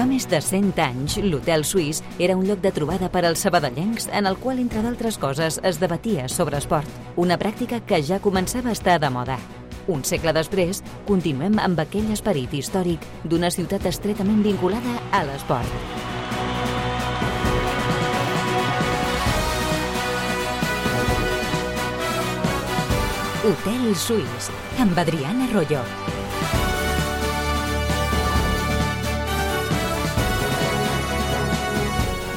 Fa més de 100 anys, l'Hotel Suís era un lloc de trobada per als sabadellencs en el qual, entre d'altres coses, es debatia sobre esport, una pràctica que ja començava a estar de moda. Un segle després, continuem amb aquell esperit històric d'una ciutat estretament vinculada a l'esport. Hotel Suís, amb Adriana Arroyo.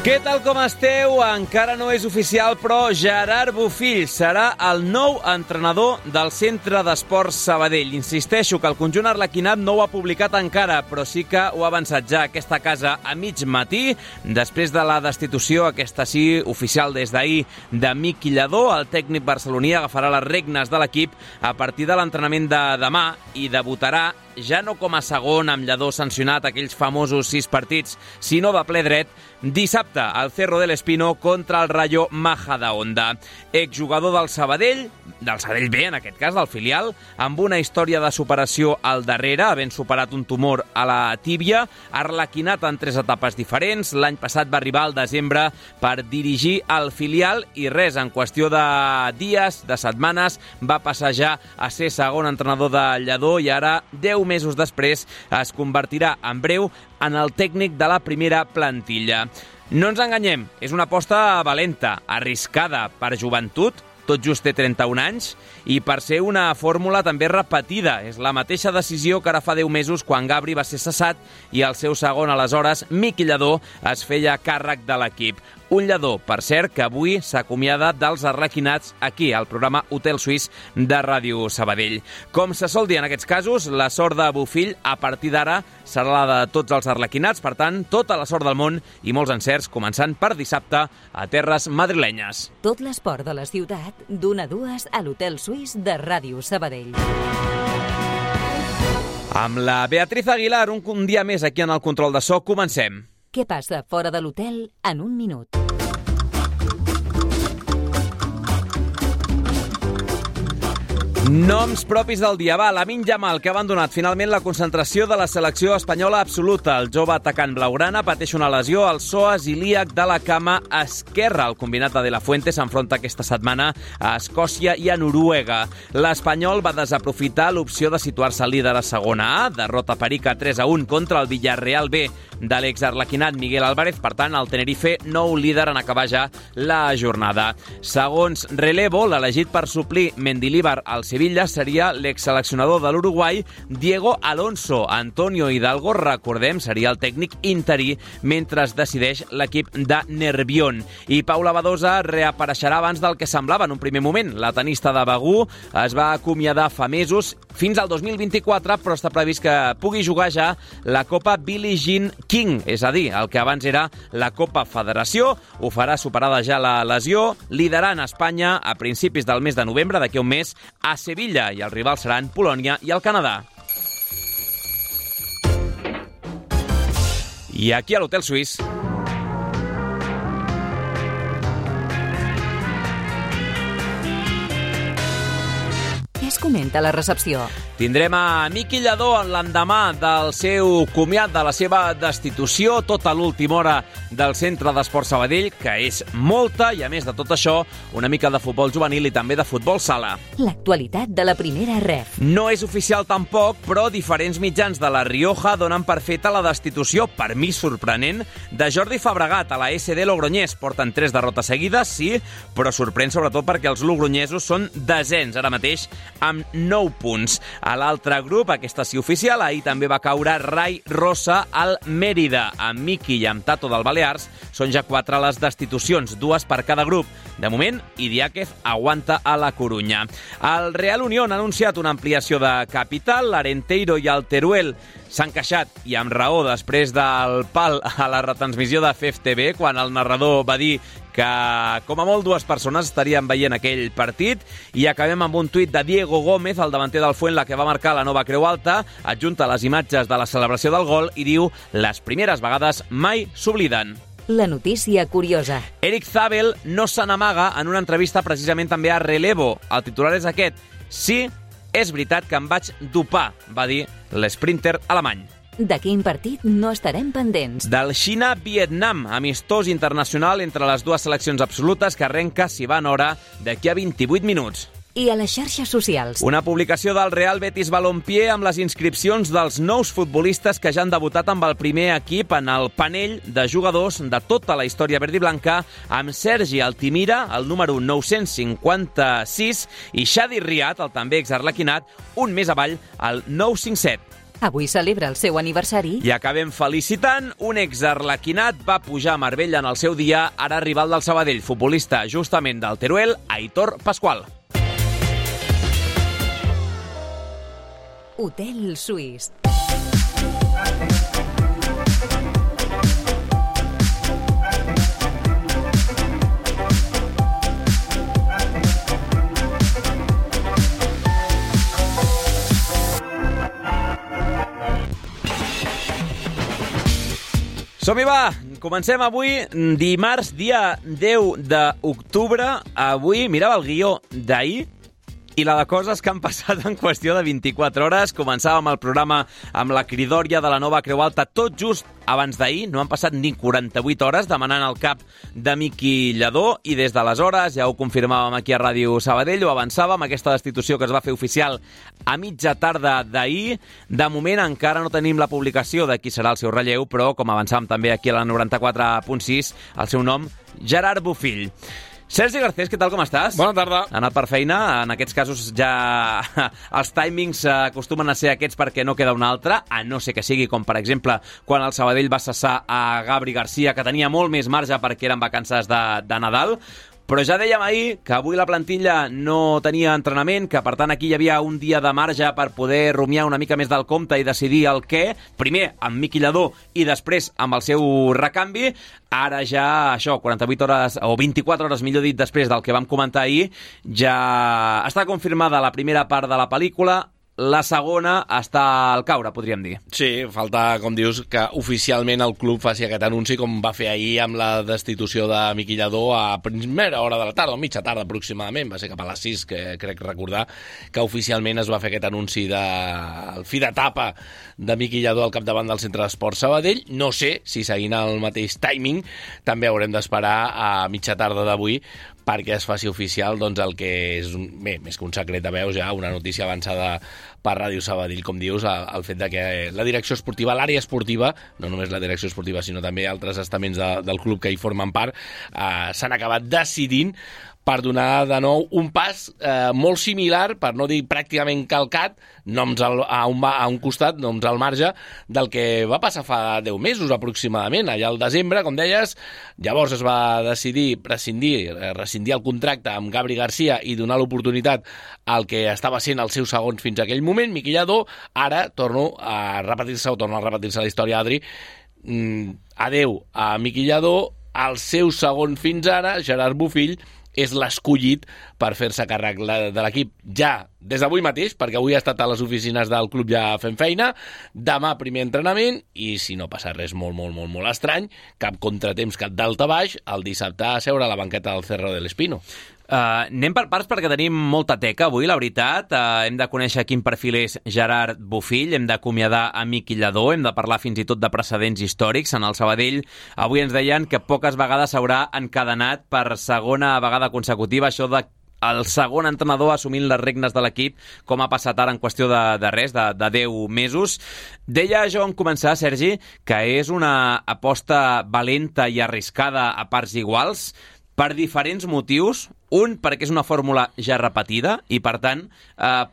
Què tal com esteu? Encara no és oficial, però Gerard Bofill serà el nou entrenador del Centre d'Esports Sabadell. Insisteixo que el conjunt arlequinat no ho ha publicat encara, però sí que ho ha avançat ja aquesta casa a mig matí, després de la destitució, aquesta sí, oficial des d'ahir, de Miqui Lladó. El tècnic barceloní agafarà les regnes de l'equip a partir de l'entrenament de demà i debutarà ja no com a segon amb Lladó sancionat aquells famosos 6 partits, sinó de ple dret, dissabte al Cerro del Espino contra el Rayo Majadahonda. Exjugador del Sabadell B en aquest cas, del filial, amb una història de superació al darrere, havent superat un tumor a la tíbia, arlequinat en 3 etapes diferents. L'any passat va arribar al desembre per dirigir el filial i res, en qüestió de dies, de setmanes, va passar ja a ser segon entrenador de Lladó i ara, 10 mesos després, es convertirà en breu en el tècnic de la primera plantilla. No ens enganyem, és una aposta valenta, arriscada per joventut, tot just té 31 anys, i per ser una fórmula també repetida. És la mateixa decisió que ara fa 10 mesos quan Gabri va ser cessat i el seu segon, aleshores, Miqui Lladó, es feia càrrec de l'equip. Un Lladó, per cert, que avui s'acomiada dels arlequinats aquí, al programa Hotel Suís de Ràdio Sabadell. Com se sol dir en aquests casos, la sort de Bofill a partir d'ara serà la de tots els arlequinats, per tant, tota la sort del món i molts encerts, començant per dissabte a terres madrilenyes. Tot l'esport de la ciutat, d'1 a 2 a l'Hotel Suís de Ràdio Sabadell. Amb la Beatriz Aguilar, un dia més aquí en el control de so, comencem. Què passa fora de l'hotel en un minut? Noms propis del dia. Va, Lamine Yamal, que ha abandonat finalment la concentració de la selecció espanyola absoluta. El jove atacant blaugrana pateix una lesió al psoas ilíac de la cama esquerra. El combinat de De La Fuente s'enfronta aquesta setmana a Escòcia i a Noruega. L'Espanyol va desaprofitar l'opció de situar-se líder a segona A, derrota perica 3-1 contra el Villarreal B de l'exarlequinat Miguel Álvarez. Per tant, el Tenerife, nou líder en acabar ja la jornada. Segons Relevo, l'elegit per suplir Mendilibar al Sevilla seria l'exseleccionador de l'Uruguai Diego Alonso. Antonio Hidalgo, recordem, seria el tècnic interí mentre es decideix l'equip de Nervión. I Paula Badosa reapareixerà abans del que semblava en un primer moment. La tenista de Begú es va acomiadar fa mesos fins al 2024, però està previst que pugui jugar ja la Copa Billie Jean King, és a dir, el que abans era la Copa Federació. Ho farà superada ja la lesió, liderant Espanya a principis del mes de novembre, d'aquí un mes, a Sevilla, i els rivals seran Polònia i el Canadà. I aquí a l'Hotel Suís. Què es comenta a la recepció? Tindrem a Miqui Lladó l'endemà del seu comiat, de la seva destitució, tota l'última hora del Centre d'Esports Sabadell, que és molta, i a més de tot això, una mica de futbol juvenil i també de futbol sala. L'actualitat de la primera ref. No és oficial tampoc, però diferents mitjans de La Rioja donen per feta la destitució, per mi sorprenent, de Jordi Fabregat a la SD Logroñés. Porten 3 derrotes seguides, sí, però sorprèn sobretot perquè els logronyesos són desens ara mateix amb 9 punts. A l'altre grup, aquesta sí oficial, ahir també va caure Rai Rosa al Mèrida. Amb Miqui i amb Tato del Balears són ja 4 les destitucions, 2 per cada grup. De moment, Idiáquez aguanta a la Corunya. El Real Unión ha anunciat una ampliació de capital. L'Arenteiro i el Teruel s'han queixat, i amb raó, després del pal a la retransmissió de FEF-TV, quan el narrador va dir que com a molt 2 persones estarien veient aquell partit. I acabem amb un tuit de Diego Gómez, el davanter del Fuenla, que va marcar la nova Creu Alta, adjunta les imatges de la celebració del gol i diu: les primeres vegades mai s'obliden. La notícia curiosa. Eric Zabel no se n'amaga en una entrevista precisament també a Relevo. El titular és aquest: sí, és veritat que em vaig dopar, va dir l'esprinter alemany. De quin partit no estarem pendents? Del Xina-Vietnam, amistós internacional entre les dues seleccions absolutes que arrenca, si va en hora, d'aquí a 28 minuts. I a les xarxes socials. Una publicació del Real Betis Balompié amb les inscripcions dels nous futbolistes que ja han debutat amb el primer equip en el panell de jugadors de tota la història verd i blanca, amb Sergi Altimira, el número 956, i Xadi Riat, el també exarlequinat, un més avall, el 957. Avui celebra el seu aniversari. I acabem felicitant un exarlequinat, va pujar a Marbella en el seu dia, ara rival del Sabadell, futbolista justament del Teruel, Aitor Pascual. Hotel Suís. Som-hi, va! Comencem avui, dimarts, dia 10 d'octubre. Avui mirava el guió d'ahir i la de coses que han passat en qüestió de 24 hores. Començàvem el programa amb la cridòria de la nova Creu Alta tot just abans d'ahir. No han passat ni 48 hores demanant el cap de Miqui Lladó i des d'aleshores, ja ho confirmàvem aquí a Ràdio Sabadell, ho avançàvem, aquesta destitució que es va fer oficial a mitja tarda d'ahir. De moment encara no tenim la publicació de qui serà el seu relleu, però com avançàvem també aquí a la 94.6, el seu nom, Gerard Bofill. Sergi Garcés, què tal, com estàs? Bona tarda. Ha anat per feina. En aquests casos ja els timings acostumen a ser aquests perquè no queda un altre, a no ser que sigui com, per exemple, quan el Sabadell va cessar a Gabri Garcia, que tenia molt més marge perquè eren vacances de Nadal. Però ja dèiem ahir que avui la plantilla no tenia entrenament, que per tant aquí hi havia un dia de marge per poder rumiar una mica més del compte i decidir el què, primer amb Miqui Lladó i després amb el seu recanvi. Ara ja, això, 48 hores, o 24 hores, millor dit, després del que vam comentar ahir, ja està confirmada la primera part de la pel·lícula. La segona està al caure, podríem dir. Sí, falta, com dius, que oficialment el club faci aquest anunci com va fer ahir amb la destitució de Miqui Lladó a primera hora de la tarda, o mitja tarda aproximadament, va ser cap a les 6, que crec recordar que oficialment es va fer aquest anunci del fi d'etapa de Miqui Lladó al capdavant del Centre d'Esports Sabadell. No sé si seguint el mateix timing també haurem d'esperar a mitja tarda d'avui perquè es faci oficial doncs, el que és, bé, més que un secret de veus, ja una notícia avançada per Ràdio Sabadell, com dius, el fet de que la direcció esportiva, l'àrea esportiva, no només la direcció esportiva, sinó també altres estaments del club que hi formen part, s'han acabat decidint per donar de nou un pas molt similar, per no dir pràcticament calcat, noms a un costat, noms al marge, del que va passar fa 10 mesos aproximadament, allà al desembre, com deies. Llavors es va decidir rescindir el contracte amb Gabri Garcia i donar l'oportunitat al que estava sent el seu segon fins a aquell moment, Miqui Lladó. Ara torna a repetir-se la història, Adri. Adeu a Miqui Lladó, el seu segon fins ara, Gerard Bofill, és l'escollit per fer-se càrrec de l'equip ja des d'avui mateix, perquè avui ha estat a les oficines del club ja fent feina, demà primer entrenament, i si no passa res molt estrany, cap contratemps, cap daltabaix, el dissabte a seure a la banqueta del Cerro del Espino. Anem per parts perquè tenim molta teca avui, la veritat. Hem de conèixer quin perfil és Gerard Bofill, hem d'acomiadar a Miqui Lladó, hem de parlar fins i tot de precedents històrics. En el Sabadell avui ens deien que poques vegades s'haurà encadenat per segona vegada consecutiva això de el segon entrenador assumint les regnes de l'equip, com ha passat ara en qüestió de res, de 10 mesos. Deia jo en començar, Sergi, que és una aposta valenta i arriscada a parts iguals, per diferents motius. Un, perquè és una fórmula ja repetida i, per tant,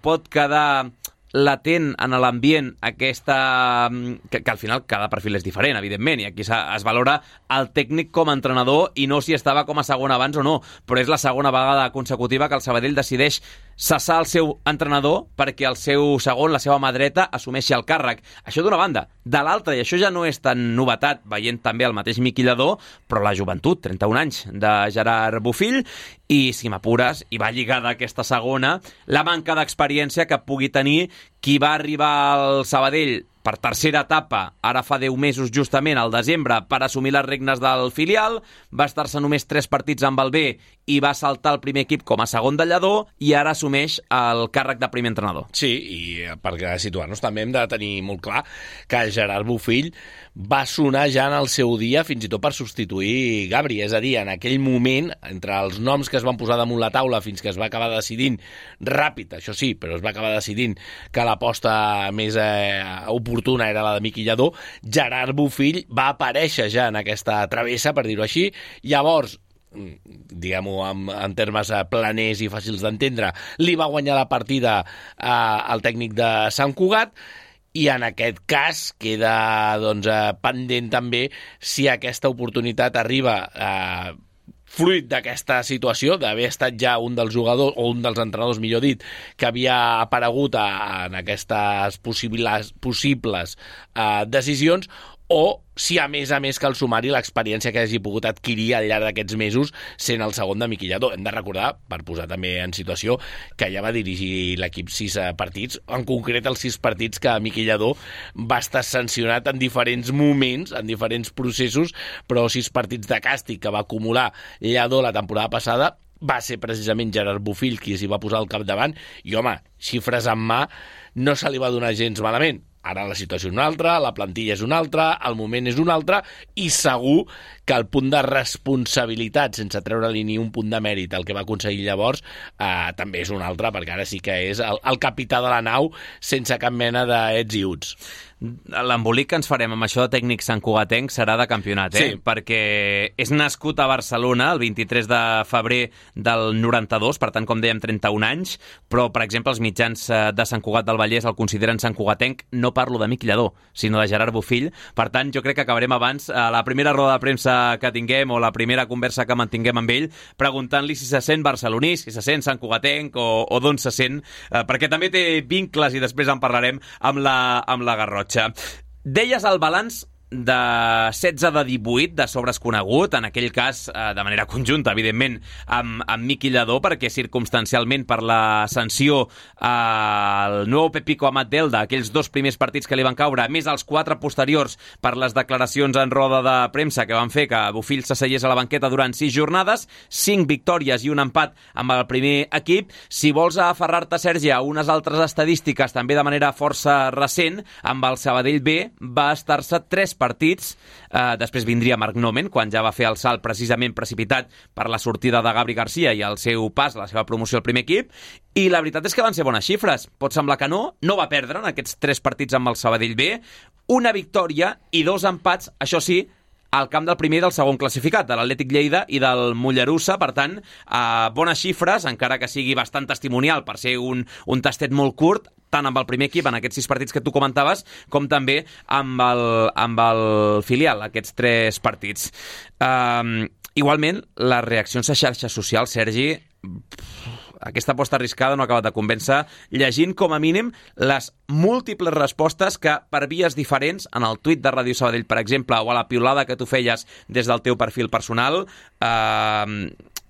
pot quedar latent en l'ambient aquesta... que al final cada perfil és diferent, evidentment, i aquí es valora el tècnic com a entrenador i no si estava com a segon abans o no, però és la segona vegada consecutiva que el Sabadell decideix cessar el seu entrenador perquè el seu segon, la seva mà dreta, assumeixi el càrrec. Això d'una banda. De l'altra, i això ja no és tan novetat, veient també el mateix Miqui Lladó, però la joventut, 31 anys, de Gerard Bofill, i, si m'apures, i va lligada aquesta segona, la manca d'experiència que pugui tenir qui va arribar al Sabadell per tercera etapa, ara fa 10 mesos justament, al desembre, per assumir les regnes del filial, va estar-se només 3 partits amb el B i va saltar el primer equip com a segon de lladó i ara assumeix el càrrec de primer entrenador. Sí, i per situar-nos també hem de tenir molt clar que Gerard Bofill va sonar ja en el seu dia fins i tot per substituir Gabri, és a dir, en aquell moment, entre els noms que es van posar damunt la taula fins que es va acabar decidint ràpid, això sí, però es va acabar decidint que l'aposta més oportuna era la de Miqui Lladó, Gerard Bofill va aparèixer ja en aquesta travessa, per dir-ho així. Llavors, diguem-ho en termes planers i fàcils d'entendre, li va guanyar la partida al tècnic de Sant Cugat, i en aquest cas queda pendent també si aquesta oportunitat arriba fruit d'aquesta situació, d'haver estat ja un dels jugadors, o un dels entrenadors, millor dit, que havia aparegut en aquestes possibles decisions, o si a més cal sumar-hi l'experiència que hagi pogut adquirir al llarg d'aquests mesos sent el segon de Miqui Lladó. Hem de recordar, per posar també en situació, que ja va dirigir l'equip 6 partits, en concret els 6 partits que Miqui Lladó va estar sancionat en diferents moments, en diferents processos, però 6 partits de càstig que va acumular Lladó la temporada passada va ser precisament Gerard Bofill qui s'hi va posar al capdavant, i home, xifres en mà, no se li va donar gens malament. Ara la situació és una altra, la plantilla és una altra, el moment és un altre, i segur que el punt de responsabilitat, sense treure-li ni un punt de mèrit al que va aconseguir llavors, també és un altre, perquè ara sí que és el capità de la nau sense cap mena d'ets i uts. L'embolic que ens farem amb això de tècnic santcugatenc serà de campionat, sí. Perquè és nascut a Barcelona el 23 de febrer del 92, per tant, com dèiem, 31 anys, però, per exemple, els mitjans de Sant Cugat del Vallès el consideren santcugatenc. No parlo de Miqui Lladó, sinó de Gerard Bofill. Per tant, jo crec que acabarem abans la primera roda de premsa que tinguem o la primera conversa que mantinguem amb ell, preguntant-li si se sent barceloní, si se sent santcugatenc o d'on se sent, perquè també té vincles, i després en parlarem, amb la Garrotxa. Deies el balanç de 16 de 18 de sobres conegut, en aquell cas de manera conjunta, evidentment, amb Miqui Lladó, perquè circumstancialment per la sanció al nou Pepico Amat d'Elda, aquells 2 primers partits que li van caure, més els 4 posteriors per les declaracions en roda de premsa que van fer que Bofill s'asseiés a la banqueta durant 6 jornades, 5 victòries i un empat amb el primer equip. Si vols aferrar-te, Sergi, a unes altres estadístiques, també de manera força recent, amb el Sabadell B va estar-se 3 partits, després vindria Marc Nomen, quan ja va fer el salt precisament precipitat per la sortida de Gabri Garcia i el seu pas, la seva promoció al primer equip, i la veritat és que van ser bones xifres. Pot semblar que no va perdre en aquests 3 partits amb el Sabadell B, una victòria i 2 empats, això sí, al camp del primer i del segon classificat, de l'Atlètic Lleida i del Mollerussa. Per tant, bones xifres, encara que sigui bastant testimonial per ser un tastet molt curt, tant amb el primer equip en aquests 6 partits que tu comentaves, com també amb el filial, aquests 3 partits. Igualment, les reaccions a xarxes socials, Sergi, aquesta aposta arriscada no ha acabat de convèncer, llegint com a mínim les múltiples respostes que per vies diferents, en el tuit de Ràdio Sabadell, per exemple, o a la piulada que tu feies des del teu perfil personal,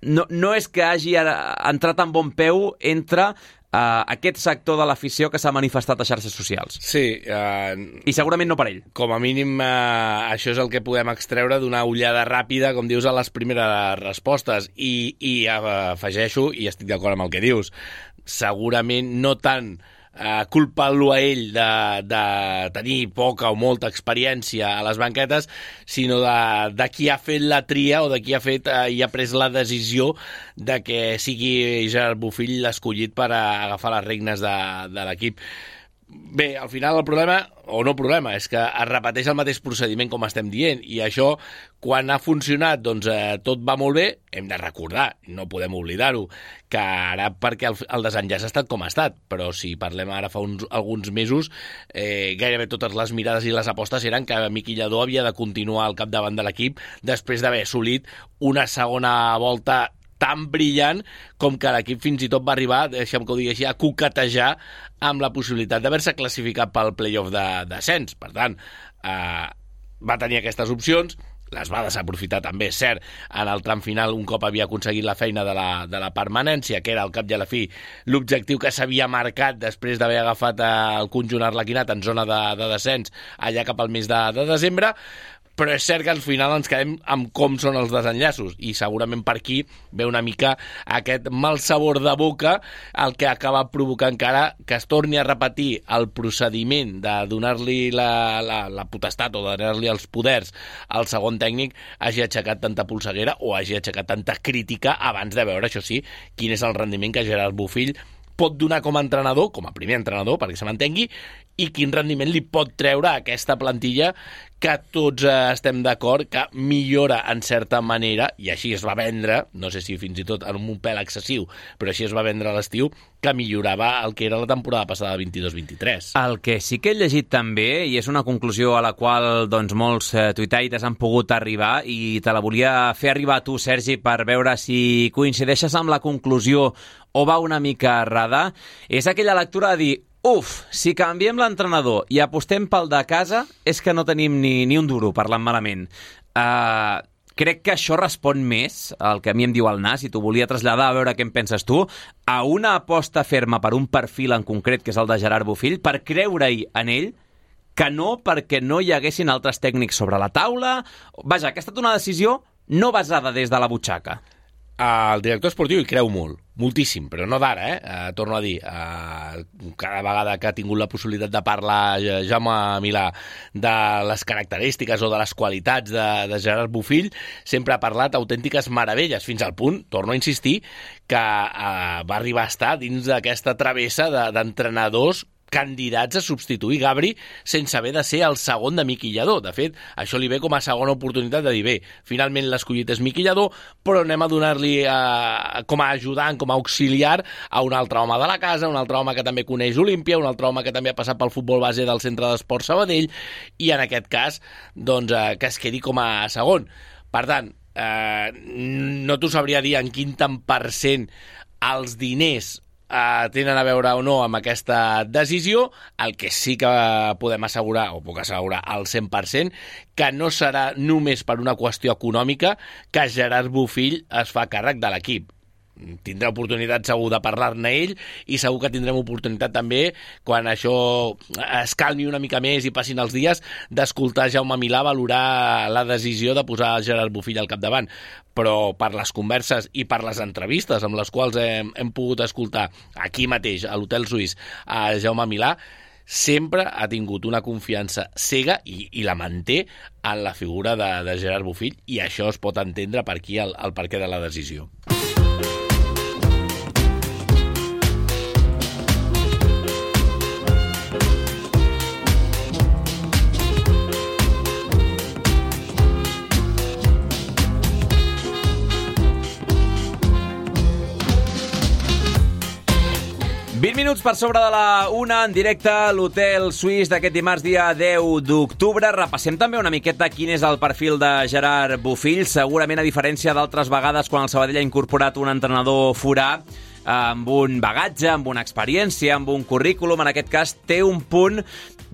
no és que hagi entrat en bon peu entre aquest sector de l'afició que s'ha manifestat a xarxes socials. Sí. I segurament no per ell. Com a mínim, això és el que podem extreure d'una ullada ràpida, com dius, a les primeres respostes. I afegeixo, i estic d'acord amb el que dius, segurament no tant culpant-lo a ell de tenir poca o molta experiència a les banquetes, sinó de qui ha fet la tria o de qui ha fet i ha pres la decisió de que sigui Gerard Bofill l'escollit per agafar les regnes de l'equip. Bé, al final el problema, o no problema, és que es repeteix el mateix procediment com estem dient, i això, quan ha funcionat, doncs tot va molt bé. Hem de recordar, no podem oblidar-ho, que ara perquè el desenllaç ha estat com ha estat, però si parlem ara fa alguns mesos, gairebé totes les mirades i les apostes eren que Miqui Lladó havia de continuar al capdavant de l'equip després d'haver assolit una segona volta tan brillant com que l'equip fins i tot va arribar, deixem que ho digui així, a coquetejar amb la possibilitat d'haver-se classificat pel playoff de descens. Per tant, va tenir aquestes opcions, les va desaprofitar també, és cert, en el tram final un cop havia aconseguit la feina de la permanència, que era al cap i a la fi l'objectiu que s'havia marcat després d'haver agafat el conjunt arlequinat en zona de descens allà cap al mes de desembre, però és cert que al final ens quedem amb com són els desenllaços i segurament per aquí ve una mica aquest mal sabor de boca, el que acaba provocant encara que es torni a repetir el procediment de donar-li la potestat o de donar-li els poders al segon tècnic hagi aixecat tanta polseguera o hagi aixecat tanta crítica abans de veure, això sí, quin és el rendiment que Gerard Bofill pot donar com a entrenador, com a primer entrenador, perquè se m'entengui, i quin rendiment li pot treure a aquesta plantilla que tots estem d'acord que millora en certa manera, i així es va vendre, no sé si fins i tot en un pèl excessiu, però així es va vendre a l'estiu, que millorava el que era la temporada passada 22-23. El que sí que he llegit també, i és una conclusió a la qual doncs, molts tuitaires han pogut arribar, i te la volia fer arribar a tu, Sergi, per veure si coincideixes amb la conclusió o va una mica errada, és aquella lectura de dir si canviem l'entrenador i apostem pel de casa, és que no tenim ni un duro, parlant malament. Crec que això respon més al que a mi em diu el Nas, i t'ho volia traslladar a veure què en penses tu, a una aposta ferma per un perfil en concret, que és el de Gerard Bofill, per creure-hi en ell, que no perquè no hi haguessin altres tècnics sobre la taula. Vaja, que ha estat una decisió no basada des de la butxaca. El director esportiu hi creu molt, moltíssim, però no d'ara, torno a dir, cada vegada que ha tingut la possibilitat de parlar Jaume Milà de les característiques o de les qualitats de Gerard Bofill, sempre ha parlat autèntiques meravelles, fins al punt, torno a insistir, que va arribar a estar dins d'aquesta travessa d'entrenadors candidats a substituir Gabri sense haver de ser el segon de Miqui Lladó. De fet, això li ve com a segona oportunitat de dir, bé, finalment l'escollit és Miqui Lladó, però anem a donar-li com a ajudant, com a auxiliar a un altre home de la casa, un altre home que també coneix Olímpia, un altre home que també ha passat pel futbol base del Centre d'Esports Sabadell, i en aquest cas, doncs, que es quedi com a segon. Per tant, no t'ho sabria dir en quin tant % els diners tenen a veure o no amb aquesta decisió. El que sí que podem assegurar, o puc assegurar al 100%, que no serà només per una qüestió econòmica que Gerard Bofill es fa càrrec de l'equip. Tindrà oportunitat segur de parlar-ne ell, i segur que tindrem oportunitat també, quan això es calmi una mica més i passin els dies, d'escoltar Jaume Milà valorar la decisió de posar Gerard Bofill al capdavant. Però per les converses i per les entrevistes amb les quals hem pogut escoltar aquí mateix, a l'Hotel Suís, a Jaume Milà, sempre ha tingut una confiança cega i la manté en la figura de Gerard Bofill, i això es pot entendre per aquí el perquè de la decisió. Minuts per sobre de la 1 en directe a l'Hotel Suís d'aquest dimarts, dia 10 d'octubre. Repassem també una miqueta quin és el perfil de Gerard Bofill. Segurament, a diferència d'altres vegades quan el Sabadell ha incorporat un entrenador forà, amb un bagatge, amb una experiència, amb un currículum, en aquest cas té un punt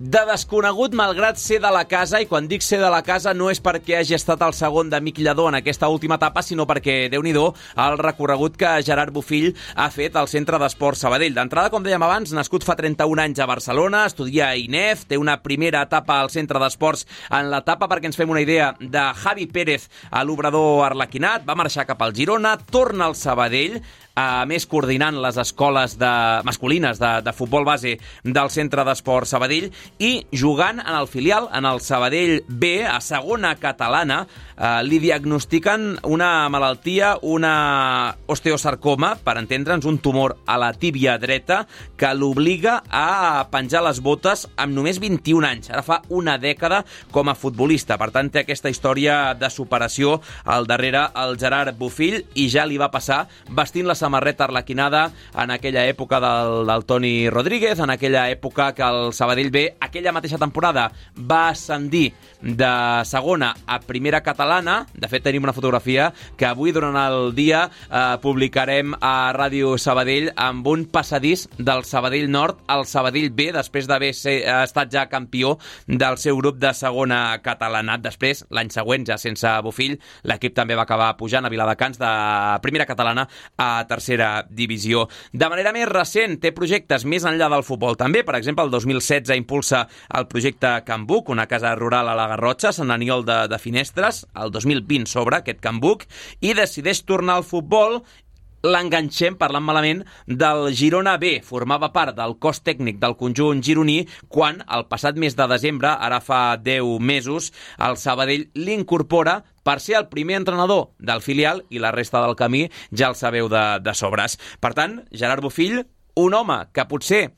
de desconegut malgrat ser de la casa, i quan dic ser de la casa no és perquè hagi estat el segon de Miqui Lladó en aquesta última etapa, sinó perquè, Déu-n'hi-do, el recorregut que Gerard Bofill ha fet al Centre d'Esports Sabadell. D'entrada, com dèiem abans, nascut fa 31 anys a Barcelona, estudia a INEF, té una primera etapa al Centre d'Esports en l'etapa, perquè ens fem una idea, de Javi Pérez a l'Obrador Arlequinat, va marxar cap al Girona, torna al Sabadell, a més coordinant les escoles masculines de futbol base del Centre d'Esports Sabadell, i jugant en el filial, en el Sabadell B, a segona catalana, li diagnostiquen una malaltia, una osteosarcoma, per entendre'ns, un tumor a la tíbia dreta, que l'obliga a penjar les botes amb només 21 anys. Ara fa una dècada com a futbolista. Per tant, té aquesta història de superació al darrere el Gerard Bofill, i ja li va passar vestint la samarreta arlequinada en aquella època del Toni Rodríguez, en aquella època que el Sabadell B, aquella mateixa temporada, va ascendir de segona a primera catalana. De fet, tenim una fotografia que avui, durant el dia, publicarem a Ràdio Sabadell amb un passadís del Sabadell Nord al Sabadell B, després d'haver estat ja campió del seu grup de segona catalanat. Després, l'any següent, ja sense Bofill, l'equip també va acabar pujant a Viladecans de primera catalana a tercera divisió. De manera més recent, té projectes més enllà del futbol també. Per exemple, el 2016 impulsa el projecte Can Buc, una casa rural a la Garrotxa, Sant Aniol de Finestres. El 2020 s'obre aquest Can Buc i decideix tornar al futbol. L'enganxem, parlant malament, del Girona B. Formava part del cos tècnic del conjunt gironí quan, el passat mes de desembre, ara fa 10 mesos, el Sabadell l'incorpora per ser el primer entrenador del filial, i la resta del camí ja el sabeu de sobres. Per tant, Gerard Bofill, un home que potser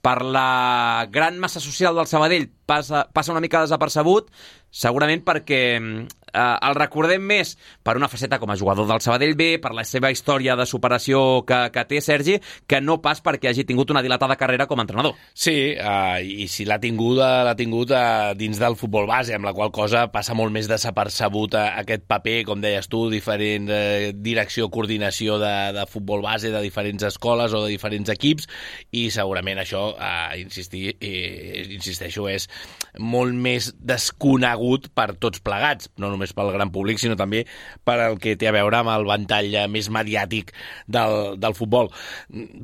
per la gran massa social del Sabadell passa una mica desapercebut, segurament perquè el recordem més per una faceta com a jugador del Sabadell B, per la seva història de superació que té, Sergi, que no pas perquè hagi tingut una dilatada carrera com a entrenador. Sí, i si l'ha tingut dins del futbol base, amb la qual cosa passa molt més desapercebut aquest paper, com deies tu, diferent direcció, coordinació de futbol base de diferents escoles o de diferents equips, i segurament això, insisteixo, és molt més desconegut per tots plegats, no només pel gran públic, sinó també per el que té a veure amb el ventall més mediàtic del futbol.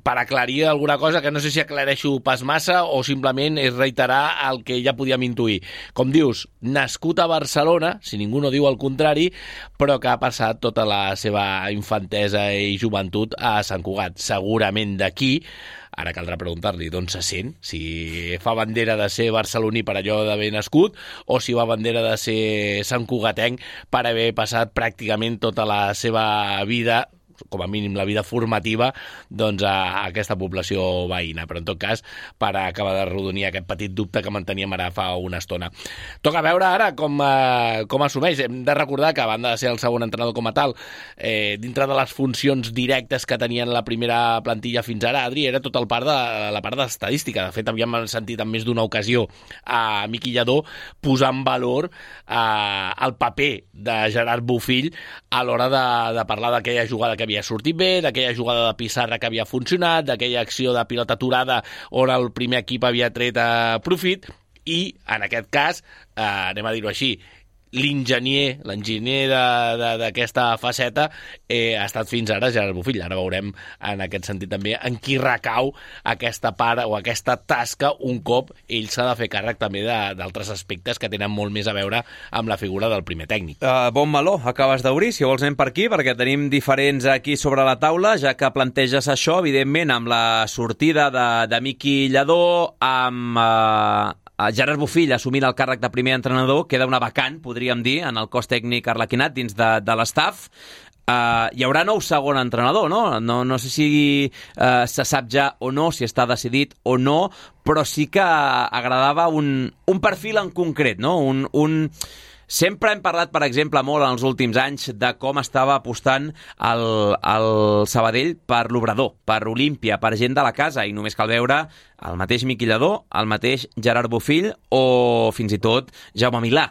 Per aclarir alguna cosa, que no sé si aclareixo pas massa o simplement és reiterar el que ja podíem intuir. Com dius, nascut a Barcelona, si ningú no diu el contrari, però que ha passat tota la seva infantesa i joventut a Sant Cugat. Segurament d'aquí, ara caldrà preguntar-li d'on se sent, si fa bandera de ser barceloní per allò d'haver nascut o si va bandera de ser santcugatenc per haver passat pràcticament tota la seva vida, com a mínim la vida formativa, doncs a aquesta població veïna. Però en tot cas, per acabar de rodonir aquest petit dubte que manteníem ara fa una estona. Toca veure ara com assumeix. Hem de recordar que, a banda de ser el segon entrenador com a tal, dintre de les funcions directes que tenien la primera plantilla fins ara, Adri, era tot la part d'estadística. De fet, havíem sentit en més d'una ocasió a Miqui Lladó posar en valor el paper de Gerard Bofill a l'hora de parlar d'aquella jugada que havia sortit bé, d'aquella jugada de pissarra que havia funcionat, d'aquella acció de pilota aturada on el primer equip havia tret profit, i en aquest cas, anem a dir-ho així, l'enginyer d'aquesta faceta ha estat fins ara Gerard Bofill. Ara veurem en aquest sentit també en qui recau aquesta part o aquesta tasca un cop ell s'ha de fer càrrec també d'altres aspectes que tenen molt més a veure amb la figura del primer tècnic. Bon meló, acabes d'obrir, si vols anem per aquí, perquè tenim diferents aquí sobre la taula, ja que planteges això, evidentment, amb la sortida de Miqui Lladó, amb Gerard Bofill assumint el càrrec de primer entrenador, queda una vacant, podríem dir, en el cos tècnic arlequinat dins de l'estaf. Hi haurà nou segon entrenador, no? No sé si se sap ja o no, si està decidit o no, però sí que agradava un perfil en concret, no? Sempre hem parlat, per exemple, molt en els últims anys de com estava apostant el Sabadell per l'Obrador, per Olímpia, per gent de la casa, i només cal veure el mateix Miqui Lladó, el mateix Gerard Bofill o fins i tot Jaume Milà.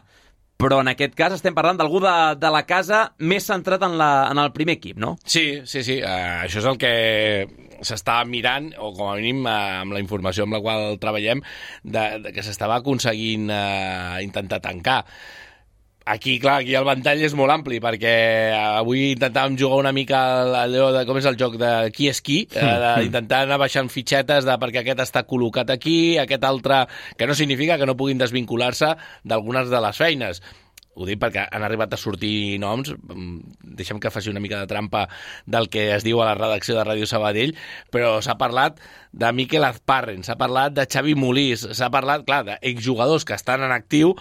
Però en aquest cas estem parlant d'algú de la casa més centrat en el primer equip, no? Sí. Això és el que s'està mirant, o com a mínim amb la informació amb la qual treballem, que s'estava aconseguint intentar tancar. Aquí el ventall és molt ampli, perquè avui intentàvem jugar una mica allò de com és el joc de qui és qui, d'intentar anar baixant fitxetes perquè aquest està col·locat aquí, aquest altre, que no significa que no puguin desvincular-se d'algunes de les feines. Ho dic perquè han arribat a sortir noms, deixem que faci una mica de trampa del que es diu a la redacció de Ràdio Sabadell, però s'ha parlat de Miquel Azparren, s'ha parlat de Xavi Molís, s'ha parlat, clar, d'exjugadors que estan en actiu,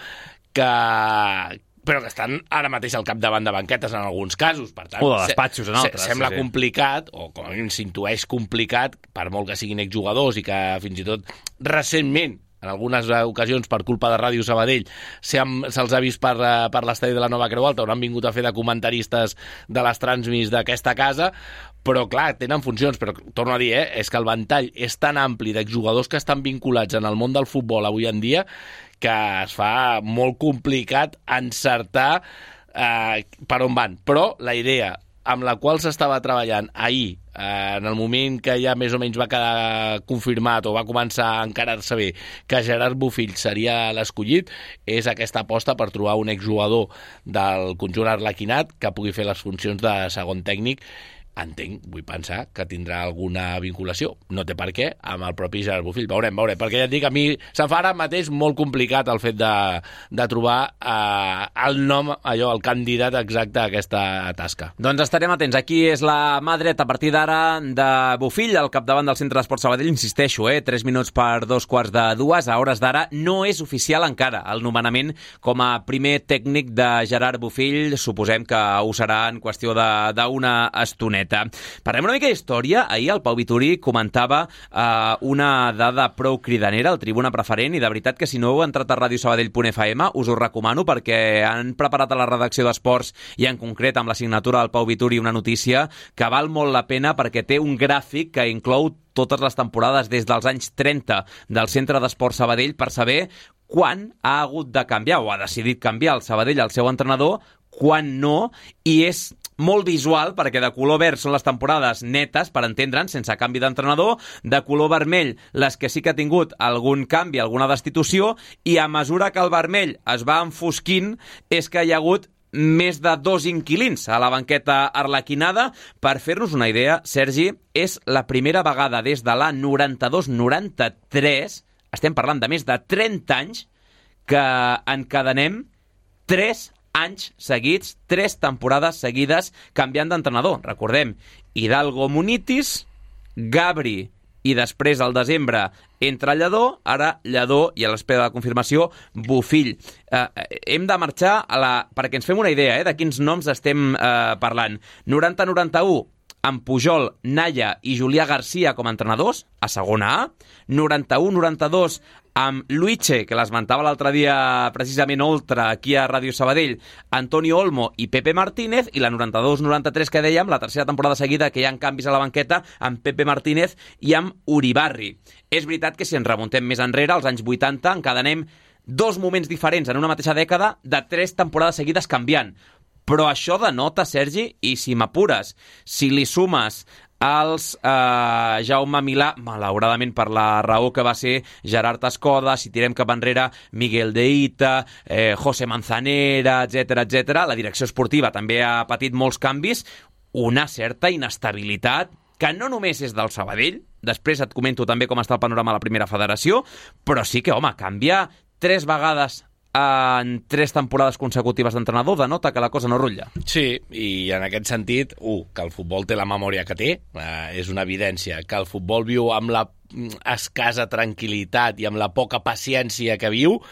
però que estan ara mateix al capdavant de banquetes en alguns casos. Per tant, o de despatxos en altres. Sembla complicat, o com a mínim s'intueix complicat, per molt que siguin exjugadors i que fins i tot recentment en algunes ocasions per culpa de Ràdio Sabadell se'ls ha vist per l'estadi de la Nova Creu Alta, on han vingut a fer de comentaristes de les transmis d'aquesta casa, però clar, tenen funcions, però torno a dir, és que el ventall és tan ampli d'exjugadors que estan vinculats en el món del futbol avui en dia que es fa molt complicat encertar per on van. Però la idea amb la qual s'estava treballant ahir, en el moment que ja més o menys va quedar confirmat o va començar a encarar-se bé que Gerard Bofill seria l'escollit, és aquesta aposta per trobar un exjugador del conjunt arlequinat que pugui fer les funcions de segon tècnic. Entenc, vull pensar que tindrà alguna vinculació, no té per què, amb el propi Gerard Bofill. Veurem, perquè ja et dic, a mi se'm fa ara mateix molt complicat el fet de trobar el nom, el candidat exacte a aquesta tasca. Doncs estarem atents. Aquí és la mà dreta a partir d'ara de Bofill, al capdavant del Centre d'Esport Sabadell. Insisteixo, 3 minuts per 2:45. A hores d'ara no és oficial encara el nomenament com a primer tècnic de Gerard Bofill. Suposem que ho serà en qüestió d'una estoneta. Parlem una mica d'història. Ahir el Pau Vituri comentava una dada prou cridanera, el Tribuna Preferent, i de veritat que si no heu entrat a radiosabadell.fm us ho recomano perquè han preparat a la redacció d'Esports i en concret amb la signatura del Pau Vituri una notícia que val molt la pena perquè té un gràfic que inclou totes les temporades des dels anys 30 del Centre d'Esport Sabadell per saber quan ha hagut de canviar o ha decidit canviar el Sabadell el seu entrenador, quan no, i és molt visual perquè de color verd són les temporades netes, per entendre'n, sense canvi d'entrenador, de color vermell les que sí que ha tingut algun canvi, alguna destitució, i a mesura que el vermell es va enfosquint és que hi ha hagut més de 2 inquilins a la banqueta arlequinada. Per fer-nos una idea, Sergi, és la primera vegada des de la 92-93, estem parlant de més de 30 anys, que encadenem 3 anys seguits, 3 temporades seguides canviant d'entrenador. Recordem, Hidalgo Munitis, Gabri i després al desembre entra Lledó, ara Lledó i a l'espera de la confirmació Bofill. Hem de marxar perquè ens fem una idea de quins noms estem parlant. 90-91 amb Pujol, Naya i Julià Garcia com a entrenadors a segona A, 91-92 amb Luiche, que l'esmentava l'altre dia precisament Oltra aquí a Ràdio Sabadell, Antonio Olmo i Pepe Martínez, i la 92-93 que dèiem, la tercera temporada seguida que hi ha canvis a la banqueta amb Pepe Martínez i amb Uribarri. És veritat que si ens remuntem més enrere, als anys 80, encadenem 2 moments diferents en una mateixa dècada de 3 temporades seguides canviant. Però això denota, Sergi, i si m'apures, si li sumes els Jaume Milà, malauradament per la raó que va ser Gerard Escoda, si tirem cap enrere Miguel de Ita, José Manzanera, etc. La direcció esportiva també ha patit molts canvis, una certa inestabilitat que no només és del Sabadell, després et comento també com està el panorama a la primera federació, però sí que, home, canviar 3 vegades en 3 temporades consecutives d'entrenador denota que la cosa no rutlla. Sí, i en aquest sentit, que el futbol té la memòria que té, és una evidència, que el futbol viu amb la escassa tranquil·litat i amb la poca paciència que viu.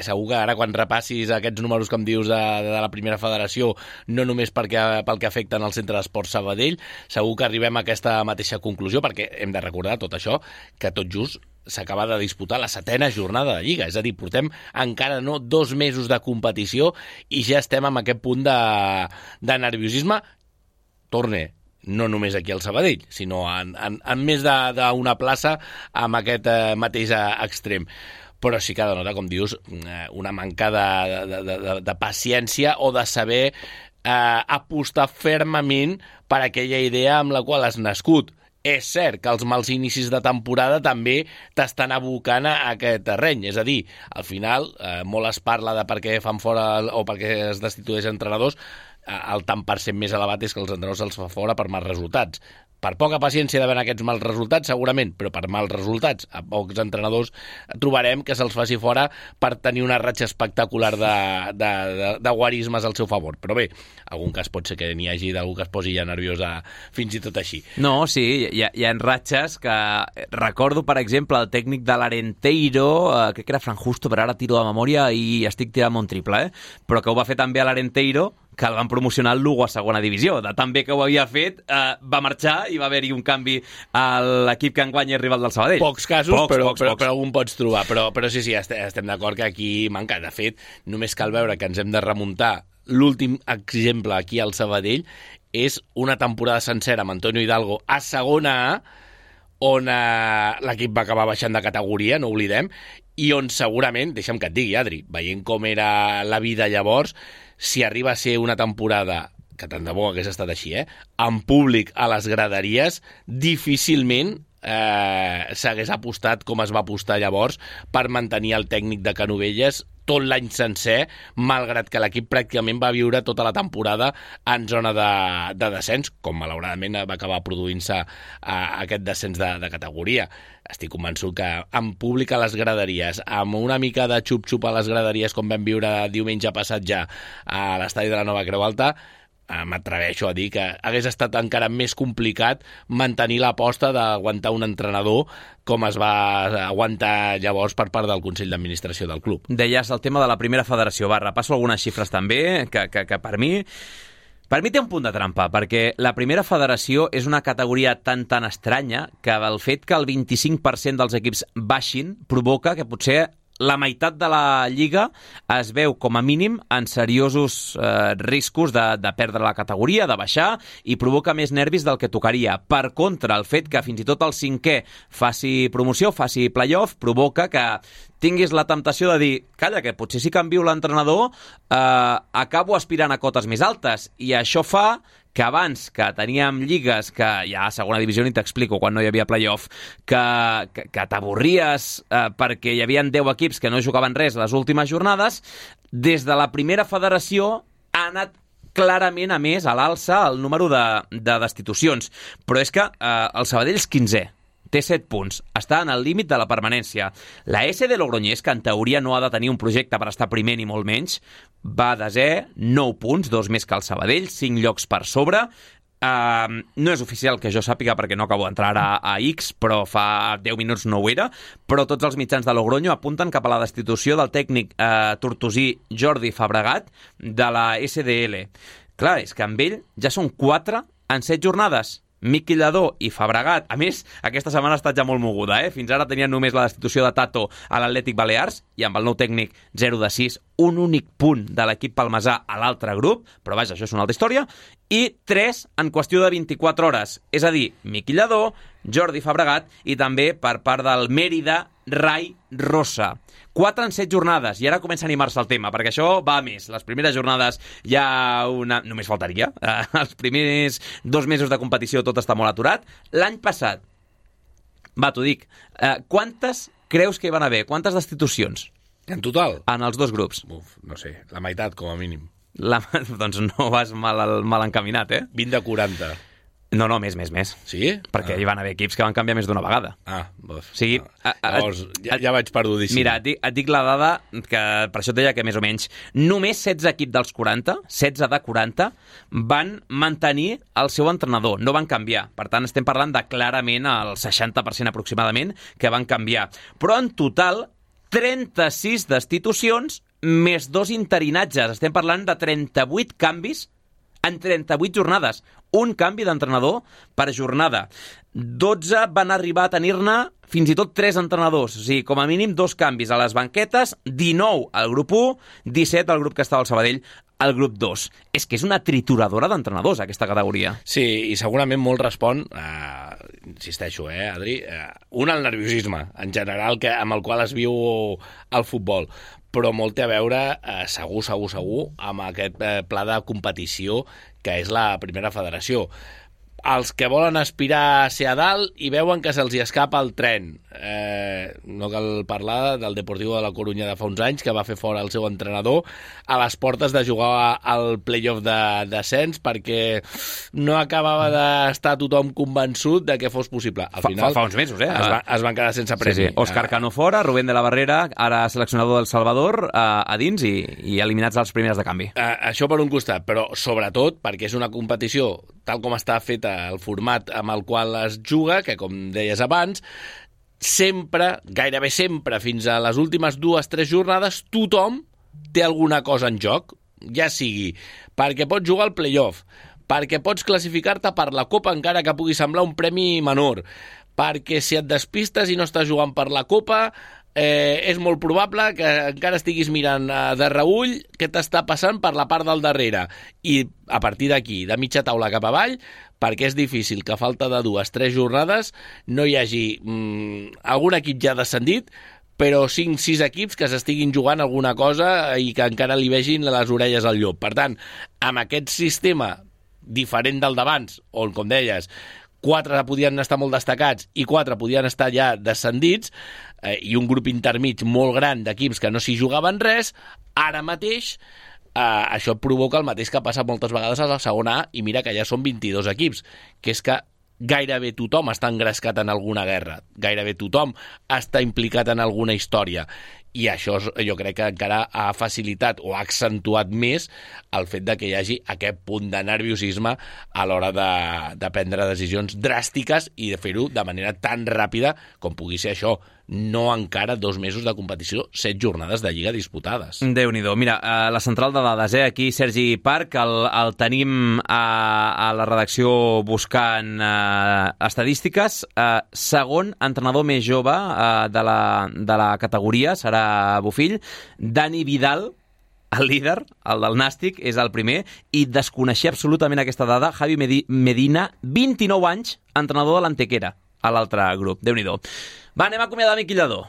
Segur que ara quan repassis aquests números que em dius de la primera federació, no només pel que afecten al Centre d'Esport Sabadell, segur que arribem a aquesta mateixa conclusió, perquè hem de recordar tot això, que tot just s'acaba de disputar la 7ª jornada de Lliga, és a dir, portem encara no 2 mesos de competició i ja estem en aquest punt de nerviosisme. Torne, no només aquí al Sabadell, sinó en més d'una plaça amb aquest mateix extrem. Però sí que denota, com dius, una manca de paciència o de saber apostar fermament per aquella idea amb la qual has nascut. És cert que els mals inicis de temporada també t'estan abocant a aquest terreny. És a dir, al final, molt es parla de per què fan fora o per què es destitueixen entrenadors. El tant per cent més elevat és que els entrenadors se'ls fa fora per mals resultats. Per poca paciència d'haver aquests mals resultats, segurament, però per mals resultats. A pocs entrenadors trobarem que se'ls faci fora per tenir una ratxa espectacular de guarismes al seu favor. Però bé, algun cas pot ser que n'hi hagi d'algú que es posi ja nerviós fins i tot així. No, sí, hi ha ratxes que... Recordo, per exemple, el tècnic de l'Arenteiro, crec que era Fran Justo, però ara tiro de memòria i estic tirant un triple, però que ho va fer també a l'Arenteiro, que el van promocionar al Lugo a segona divisió. De tan bé que ho havia fet, va marxar i va haver-hi un canvi a l'equip que enguany és rival del Sabadell. Pocs casos, però algun pots trobar. Però sí, estem d'acord que aquí manca. De fet, només cal veure que ens hem de remuntar. L'últim exemple aquí al Sabadell és una temporada sencera amb Antonio Hidalgo a segona A, on l'equip va acabar baixant de categoria, no oblidem, i on segurament, deixa'm que et digui, Adri, veient com era la vida llavors, si arriba a ser una temporada, que tant de bo hagués estat així, amb públic a les graderies, difícilment s'hagués apostat com es va apostar llavors per mantenir el tècnic de Canovelles tot l'any sencer, malgrat que l'equip pràcticament va viure tota la temporada en zona de descens, com malauradament va acabar produint-se aquest descens de categoria. Estic convençut que amb públic a les graderies, amb una mica de xup-xup a les graderies, com vam viure diumenge passat ja a l'estadi de la Nova Creu Alta, m'atreveixo a dir que hagués estat encara més complicat mantenir l'aposta d'aguantar un entrenador com es va aguantar llavors per part del Consell d'Administració del club. Deies el tema de la primera federació. Va, repasso algunes xifres també, que per mi té un punt de trampa, perquè la primera federació és una categoria tan estranya que el fet que el 25% dels equips baixin provoca que potser la meitat de la Lliga es veu com a mínim en seriosos riscos de perdre la categoria, de baixar, i provoca més nervis del que tocaria. Per contra, el fet que fins i tot el cinquè faci promoció, faci playoff, provoca que tinguis la temptació de dir, calla, que potser si canvio l'entrenador acabo aspirant a cotes més altes, i això fa que abans que teníem lligues que ja a segona divisió ni t'explico quan no hi havia playoff, que t'avorries perquè hi havia 10 equips que no jugaven res les últimes jornades, des de la primera federació ha anat clarament a més a l'alça el número de destitucions. Però és que el Sabadell és 15è, té 7 punts, està en el límit de la permanència. La SD Logroñés, que en teoria no ha de tenir un projecte per estar primer ni molt menys, va a desè, 9 punts, 2 més que el Sabadell, 5 llocs per sobre. No és oficial que jo sàpiga perquè no acabo d'entrar a X, però fa 10 minuts no ho era, però tots els mitjans de Logroño apunten cap a la destitució del tècnic tortosí Jordi Fabregat de la SDL. Clar, és que amb ell ja són 4 en 7 jornades. Miqui Lladó i Fabregat. A més, aquesta setmana ha estat ja molt moguda, Fins ara tenien només la destitució de Tato a l'Atlètic Balears i amb el nou tècnic 0-6, un únic punt de l'equip palmesà a l'altre grup, però vaja, això és una altra història, i 3 en qüestió de 24 hores. És a dir, Miqui Lladó, Jordi Fabregat i també per part del Mérida, Rai Rosa. 4 en 7 jornades, i ara comença a animar-se el tema, perquè això va a més. Les primeres jornades ja només faltaria. Els primers 2 mesos de competició tot està molt aturat. L'any passat, t'ho dic, quantes creus que hi van haver? Quantes destitucions? En total? En els 2 grups. No sé, la meitat com a mínim. Doncs no vas mal encaminat, 20 de 40. No, més. Sí? Perquè hi van haver equips que van canviar més d'una vegada. O sigui, llavors, ja vaig perdudíssim. Mira, et dic la dada, que per això et deia que més o menys només 16 equips dels 40, 16 de 40, van mantenir el seu entrenador, no van canviar. Per tant, estem parlant de clarament el 60% aproximadament que van canviar. Però en total, 36 destitucions més 2 interinatges. Estem parlant de 38 canvis en 38 jornades. Un canvi d'entrenador per jornada. 12 van arribar a tenir-ne fins i tot 3 entrenadors. O sigui, com a mínim 2 canvis a les banquetes, 19 al grup 1, 17 al grup que estava al Sabadell, al grup 2. És que és una trituradora d'entrenadors, aquesta categoria. Sí, i segurament molt respon, insisteixo, Adri, un al nerviosisme, en general, amb el qual es viu el futbol, però molt té a veure, segur, amb aquest pla de competició que és la primera federació. Els que volen aspirar a ser a dalt i veuen que se'ls escapa el tren. No cal parlar del Deportivo de la Corunya de fa uns anys, que va fer fora el seu entrenador a les portes de jugar al playoff de descens perquè no acabava d'estar tothom convençut de que fos possible. Al final, fa uns mesos, es van quedar sense premi. Sí. Òscar Cano fora, Rubén de la Barrera, ara seleccionador del Salvador, a dins i eliminats als primeres de canvi. Això per un costat, però sobretot perquè és una competició tal com està feta el format amb el qual es juga, que com deies abans, sempre, gairebé sempre, fins a les últimes 2-3 jornades, tothom té alguna cosa en joc. ja sigui perquè pots jugar al play-off, perquè pots classificar-te per la Copa encara que pugui semblar un premi menor, perquè si et despistes i no estàs jugant per la Copa, és molt probable que encara estiguis mirant de reull què t'està passant per la part del darrere. I a partir d'aquí, de mitja taula cap avall, perquè és difícil que a falta de 2-3 jornades no hi hagi algun equip ja descendit, però 5-6 equips que s'estiguin jugant alguna cosa i que encara li vegin les orelles al llop. Per tant, amb aquest sistema diferent del d'abans, on, com deies, 4 podien estar molt destacats i 4 podien estar ja descendits, i un grup intermig molt gran d'equips que no s'hi jugaven res, ara mateix això provoca el mateix que ha passat moltes vegades a la segona A, i mira que ja són 22 equips, que és que gairebé tothom està engrescat en alguna guerra, gairebé tothom està implicat en alguna història, i això jo crec que encara ha facilitat o ha accentuat més el fet de que hi hagi aquest punt de nerviosisme a l'hora de prendre decisions dràstiques i de fer-ho de manera tan ràpida com pugui ser això. No encara 2 mesos de competició, 7 jornades de Lliga disputades. Déu-n'hi-do. Mira, la central de dades, aquí Sergi Parc, el tenim a la redacció buscant estadístiques. Segon entrenador més jove de la categoria serà Bofill. Dani Vidal, el líder, el del Nàstic, és el primer, i desconeixia absolutament aquesta dada. Javi Medina, 29 anys, entrenador de l'Antequera, a l'altre grup. Déu-n'hi-do. Va, anem a acomiadar Miqui Lladó.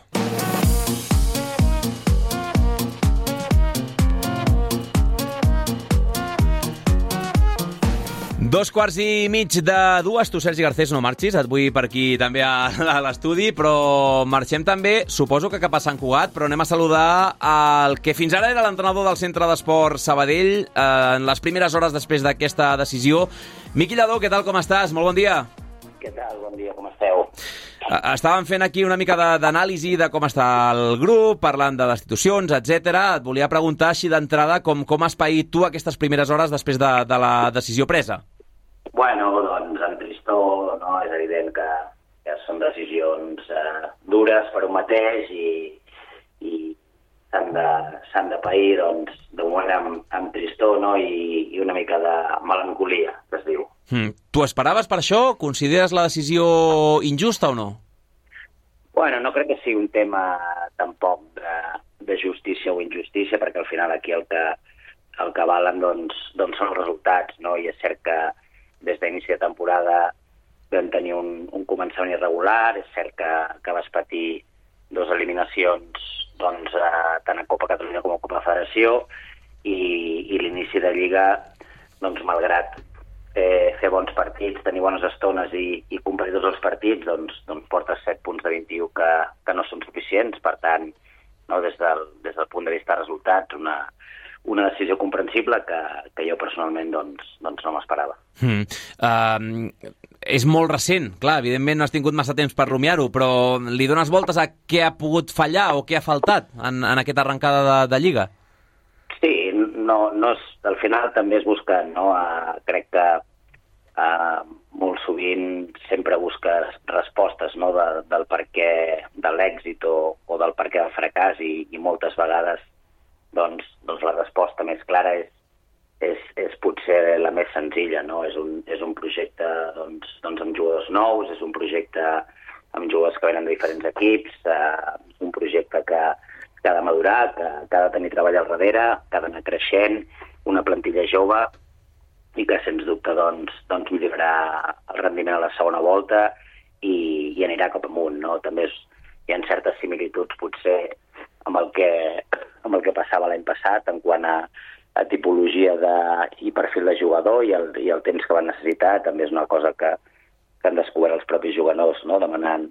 Dos quarts i mig de 2. Tu, Sergi Garcés, no marxis. Et vull per aquí també a l'estudi, però marxem també, suposo que cap a Sant Cugat, però anem a saludar el que fins ara era l'entrenador del Centre d'Esport Sabadell en les primeres hores després d'aquesta decisió. Miqui Lladó, què tal, com estàs? Molt bon dia. Què tal? Bon dia, com esteu? Estàvem fent aquí una mica d'anàlisi de com està el grup, parlant de destitucions, etc. Et volia preguntar així d'entrada com has paït tu aquestes primeres hores després de la decisió presa. Bueno, doncs amb tristor, no? És evident que són decisions dures per un mateix i s'han de pair, doncs, de moment amb tristor, no? I una mica de melancolia, que es diu. Tu esperaves per això? Consideres la decisió injusta o no? Bueno, no crec que sigui un tema tampoc de justícia o injustícia, perquè al final aquí el que valen doncs són els resultats, no? I és cert que des d'inici de temporada vam tenir un començament irregular, és cert que vas patir 2 eliminacions doncs, tant a Copa Catalunya com a Copa Federació, i l'inici de Lliga, doncs, malgrat fer bons partits, tenir bones estones i competir tots els partits, doncs portes 7 punts de 21 que no són suficients. Per tant, no, des del punt de vista de resultats, una decisió comprensible que jo personalment doncs no m'esperava. És molt recent, clar, evidentment no has tingut massa temps per rumiar-ho, però li dones voltes a què ha pogut fallar o què ha faltat en aquesta arrencada de Lliga? Sí, no és, al final també es busca, no? Crec que molt sovint sempre busques respostes, no? del per què de l'èxit o del per què del fracàs, i moltes vegades doncs la resposta més clara és potser la més senzilla, no? És un projecte doncs amb jugadors nous, és un projecte amb jugadors que venen de diferents equips, un projecte que ha de madurar, que ha de tenir treball al darrere, que ha d'anar creixent, una plantilla jove, i que sens dubte doncs millorarà el rendiment a la segona volta i anirà cap amunt, no? També hi ha certes similituds potser amb el que passava l'any passat en quant a tipologia i perfil de jugador i el temps que van necessitar. També és una cosa que han descobert els propis jugadors, no? Demanant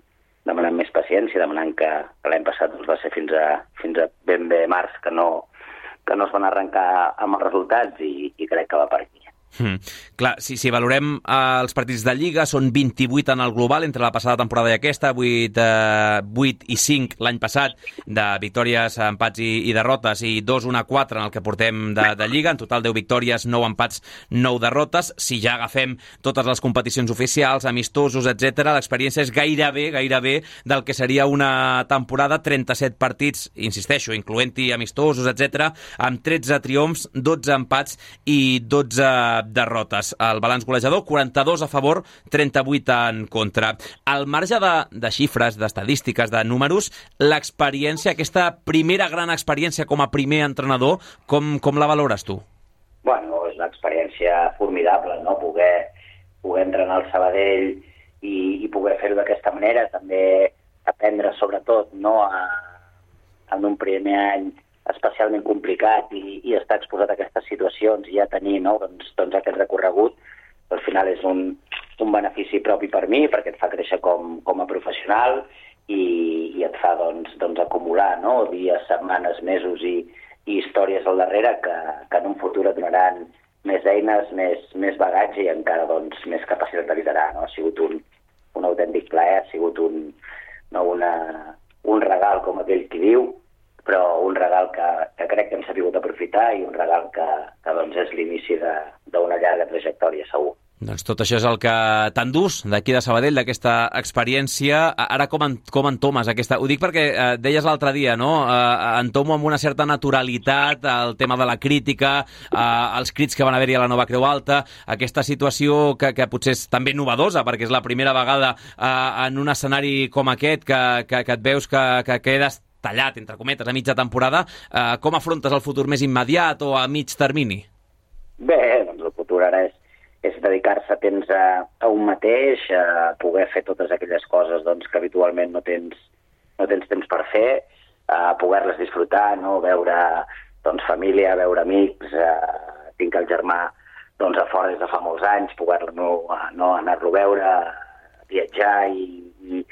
més paciència, demanant que l'any passat va ser fins a ben bé març que no es van arrencar amb els resultats, i crec que va per aquí. Clar, si valorem els partits de Lliga, són 28 en el global entre la passada temporada i aquesta, 8 i 5 l'any passat de victòries, empats i derrotes, i 2-1-4 en el que portem de Lliga, en total 10 victòries, 9 empats, 9 derrotes. Si ja agafem totes les competicions oficials, amistosos, etc., l'experiència és gairebé del que seria una temporada, 37 partits, insisteixo, incloent-hi amistosos, etc., amb 13 triomfs, 12 empats i 12 derrotes. El balanç golejador, 42 a favor, 38 en contra. Al marge de xifres, d'estadístiques, de números, l'experiència, aquesta primera gran experiència com a primer entrenador, com la valores tu? Bueno, és una experiència formidable, no? Poder entrenar al Sabadell i poder fer-ho d'aquesta manera, també aprendre sobretot, no, en un primer any especialment complicat i estar exposat a aquestes situacions i ja tenir, no, doncs aquest recorregut, al final és un benefici propi per mi, perquè et fa créixer com a professional i et fa doncs acumular, no, dies, setmanes, mesos i històries al darrere que en un futur et donaran més eines, més bagatge i encara doncs més capacitat de liderar, no? Ha sigut un autèntic plaer, ha sigut un regal, com aquell qui diu, però un regal que crec que hem sabut aprofitar i un regal que doncs és l'inici d'una llarga trajectòria, segur. Doncs tot això és el que t'endús d'aquí de Sabadell, d'aquesta experiència. Ara com entomes aquesta? Ho dic perquè deies l'altre dia, no? Entomo amb una certa naturalitat el tema de la crítica, els crits que van haver-hi a la Nova Creu Alta, aquesta situació que potser és també novedosa, perquè és la primera vegada en un escenari com aquest que et veus que quedes tallat, entre cometes, a mitja temporada. Com afrontes el futur més immediat o a mig termini? Bé, doncs el futur ara és dedicar-se temps a un mateix, a poder fer totes aquelles coses doncs, que habitualment no tens temps per fer, a poder-les disfrutar, no? Veure doncs, família, veure amics, tinc el germà doncs, a fora des de fa molts anys, poder-lo anar-lo a veure, viatjar i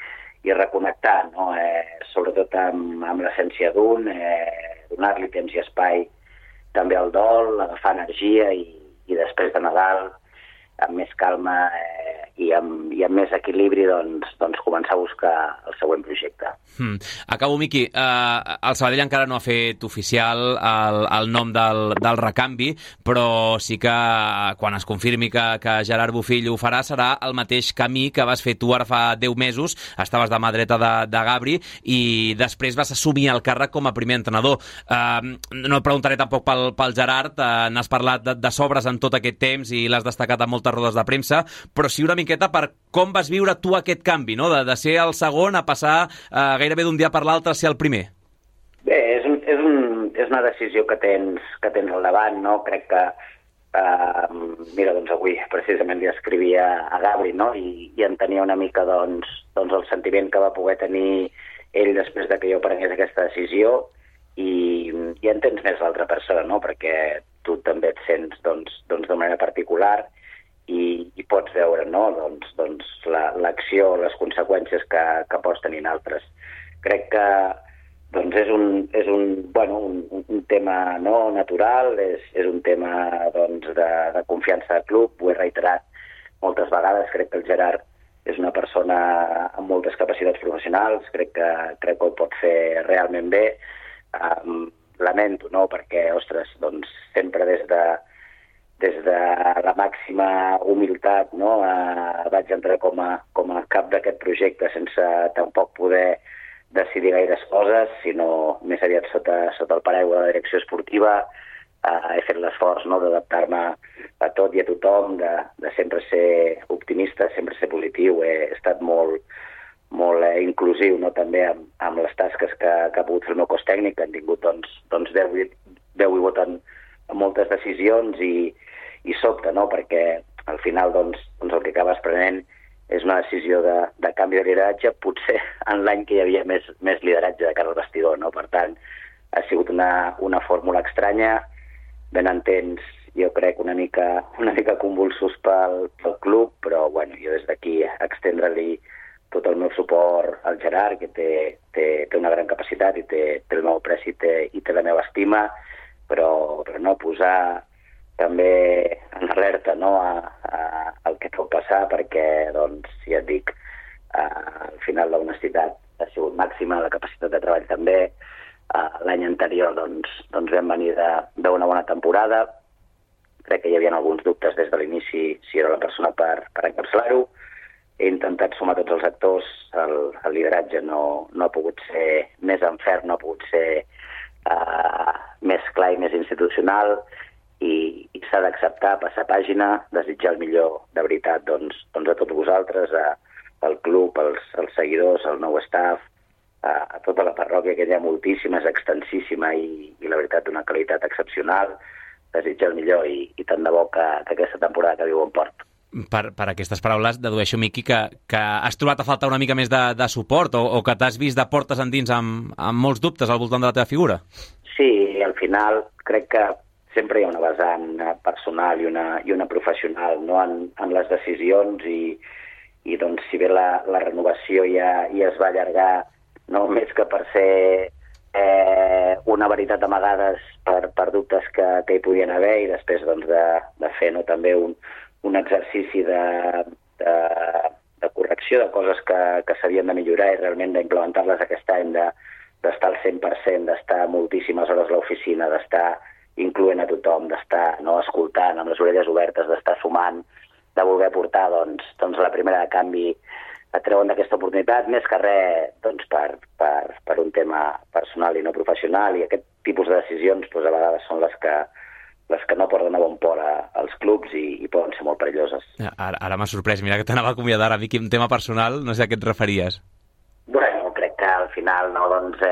reconnectar, no? Sobretot amb l'essència d'un, donar-li temps i espai també al dol, agafar energia i després de Nadal, amb més calma i amb més equilibri, doncs començar a buscar el següent projecte. Acabo, Miqui. El Sabadell encara no ha fet oficial el nom del recanvi, però sí que quan es confirmi que Gerard Bofill ho farà, serà el mateix camí que vas fer tu ara fa 10 mesos. Estaves de mà dreta de Gabri i després vas assumir el càrrec com a primer entrenador. No et preguntaré tampoc pel Gerard, n'has parlat de sobres en tot aquest temps i l'has destacat en moltes rodes de premsa, però sí una miqueta per com vas viure tu aquest canvi, no? De ser el segon a passar gairebé d'un dia per l'altre a ser el primer. Bé, és una decisió que tens al davant, no? Crec que, mira, doncs avui precisament li escrivia a Gabri, no? I entenia una mica doncs el sentiment que va poder tenir ell després de que jo prengués aquesta decisió i entens més l'altra persona, no? Perquè tu també et sents de manera particular i pots veure, no? doncs l'acció, les conseqüències que pots tenir en altres. Crec que doncs és un tema no natural, és un tema de confiança del club, ho he reiterat moltes vegades. Crec que el Gerard és una persona amb moltes capacitats professionals, crec que ho pot fer realment bé. Lamento, no?, perquè, ostres, doncs sempre des de la màxima humilitat, no? Vaig entrar com a cap d'aquest projecte sense tampoc poder decidir gaires coses, sinó més aviat sota el paraigua de la direcció esportiva. He fet l'esforç, no?, d'adaptar-me a tot i a tothom, de sempre ser optimista, sempre ser positiu. He estat molt inclusiu, no?, també amb les tasques que ha pogut fer el meu cos tècnic, que han tingut doncs 10 i voten moltes decisions i sobta, no?, perquè al final doncs el que acabes prenent és una decisió de canvi de lideratge, potser en l'any que hi havia més lideratge de cara al vestidor, no? Per tant, ha sigut una fórmula estranya, ben entens, jo crec, una mica convulsos pel club, però bueno, jo des d'aquí extendre-li tot el meu suport al Gerard, que té una gran capacitat i té el meu apreci i té la meva estima, però no posar també en alerta, no?, al que pot passar, perquè, doncs, ja et dic, al final l'honestitat ha sigut màxima, la capacitat de treball també. L'any anterior doncs vam venir d'una bona temporada. Crec que hi havia alguns dubtes des de l'inici si era la persona per encapçalar-ho. He intentat sumar tots els actors, el lideratge no ha pogut ser més en ferm, no ha pogut ser més clar i més institucional, i s'ha d'acceptar, passar pàgina, desitjar el millor de veritat doncs a tots vosaltres, al club, als seguidors, al nou staff, a tota la parròquia, que hi ha moltíssima, és extensíssima i la veritat d'una qualitat excepcional. Desitjar el millor i tant de bo que aquesta temporada que viu en port. Per aquestes paraules dedueixo, Miqui, que has trobat a faltar una mica més de suport o que t'has vist de portes endins amb molts dubtes al voltant de la teva figura? Sí, al final crec que sempre hi ha una vessant personal i una professional, no?, en les decisions i doncs si bé la renovació ja es va allargar, no més que per ser una veritat amagades per dubtes que hi podien haver, i després doncs de fer, no, també un exercici de correcció de coses que s'havien de millorar i realment d'implementar-les aquest any, d'estar al 100%, d'estar moltíssimes hores a l'oficina, d'estar incloent a tothom, d'estar, no, escoltant amb les orelles obertes, d'estar sumant, de voler portar doncs a la primera de canvi a treure d'aquesta oportunitat, més que res doncs, per un tema personal i no professional, i aquest tipus de decisions doncs, a vegades són les que no porten a bon port als clubs i poden ser molt perilloses. Ara m'ha sorprès, mira que t'anava a acomiadar, a mi, un tema personal, no sé a què et referies. Bueno, crec que al final, no, doncs,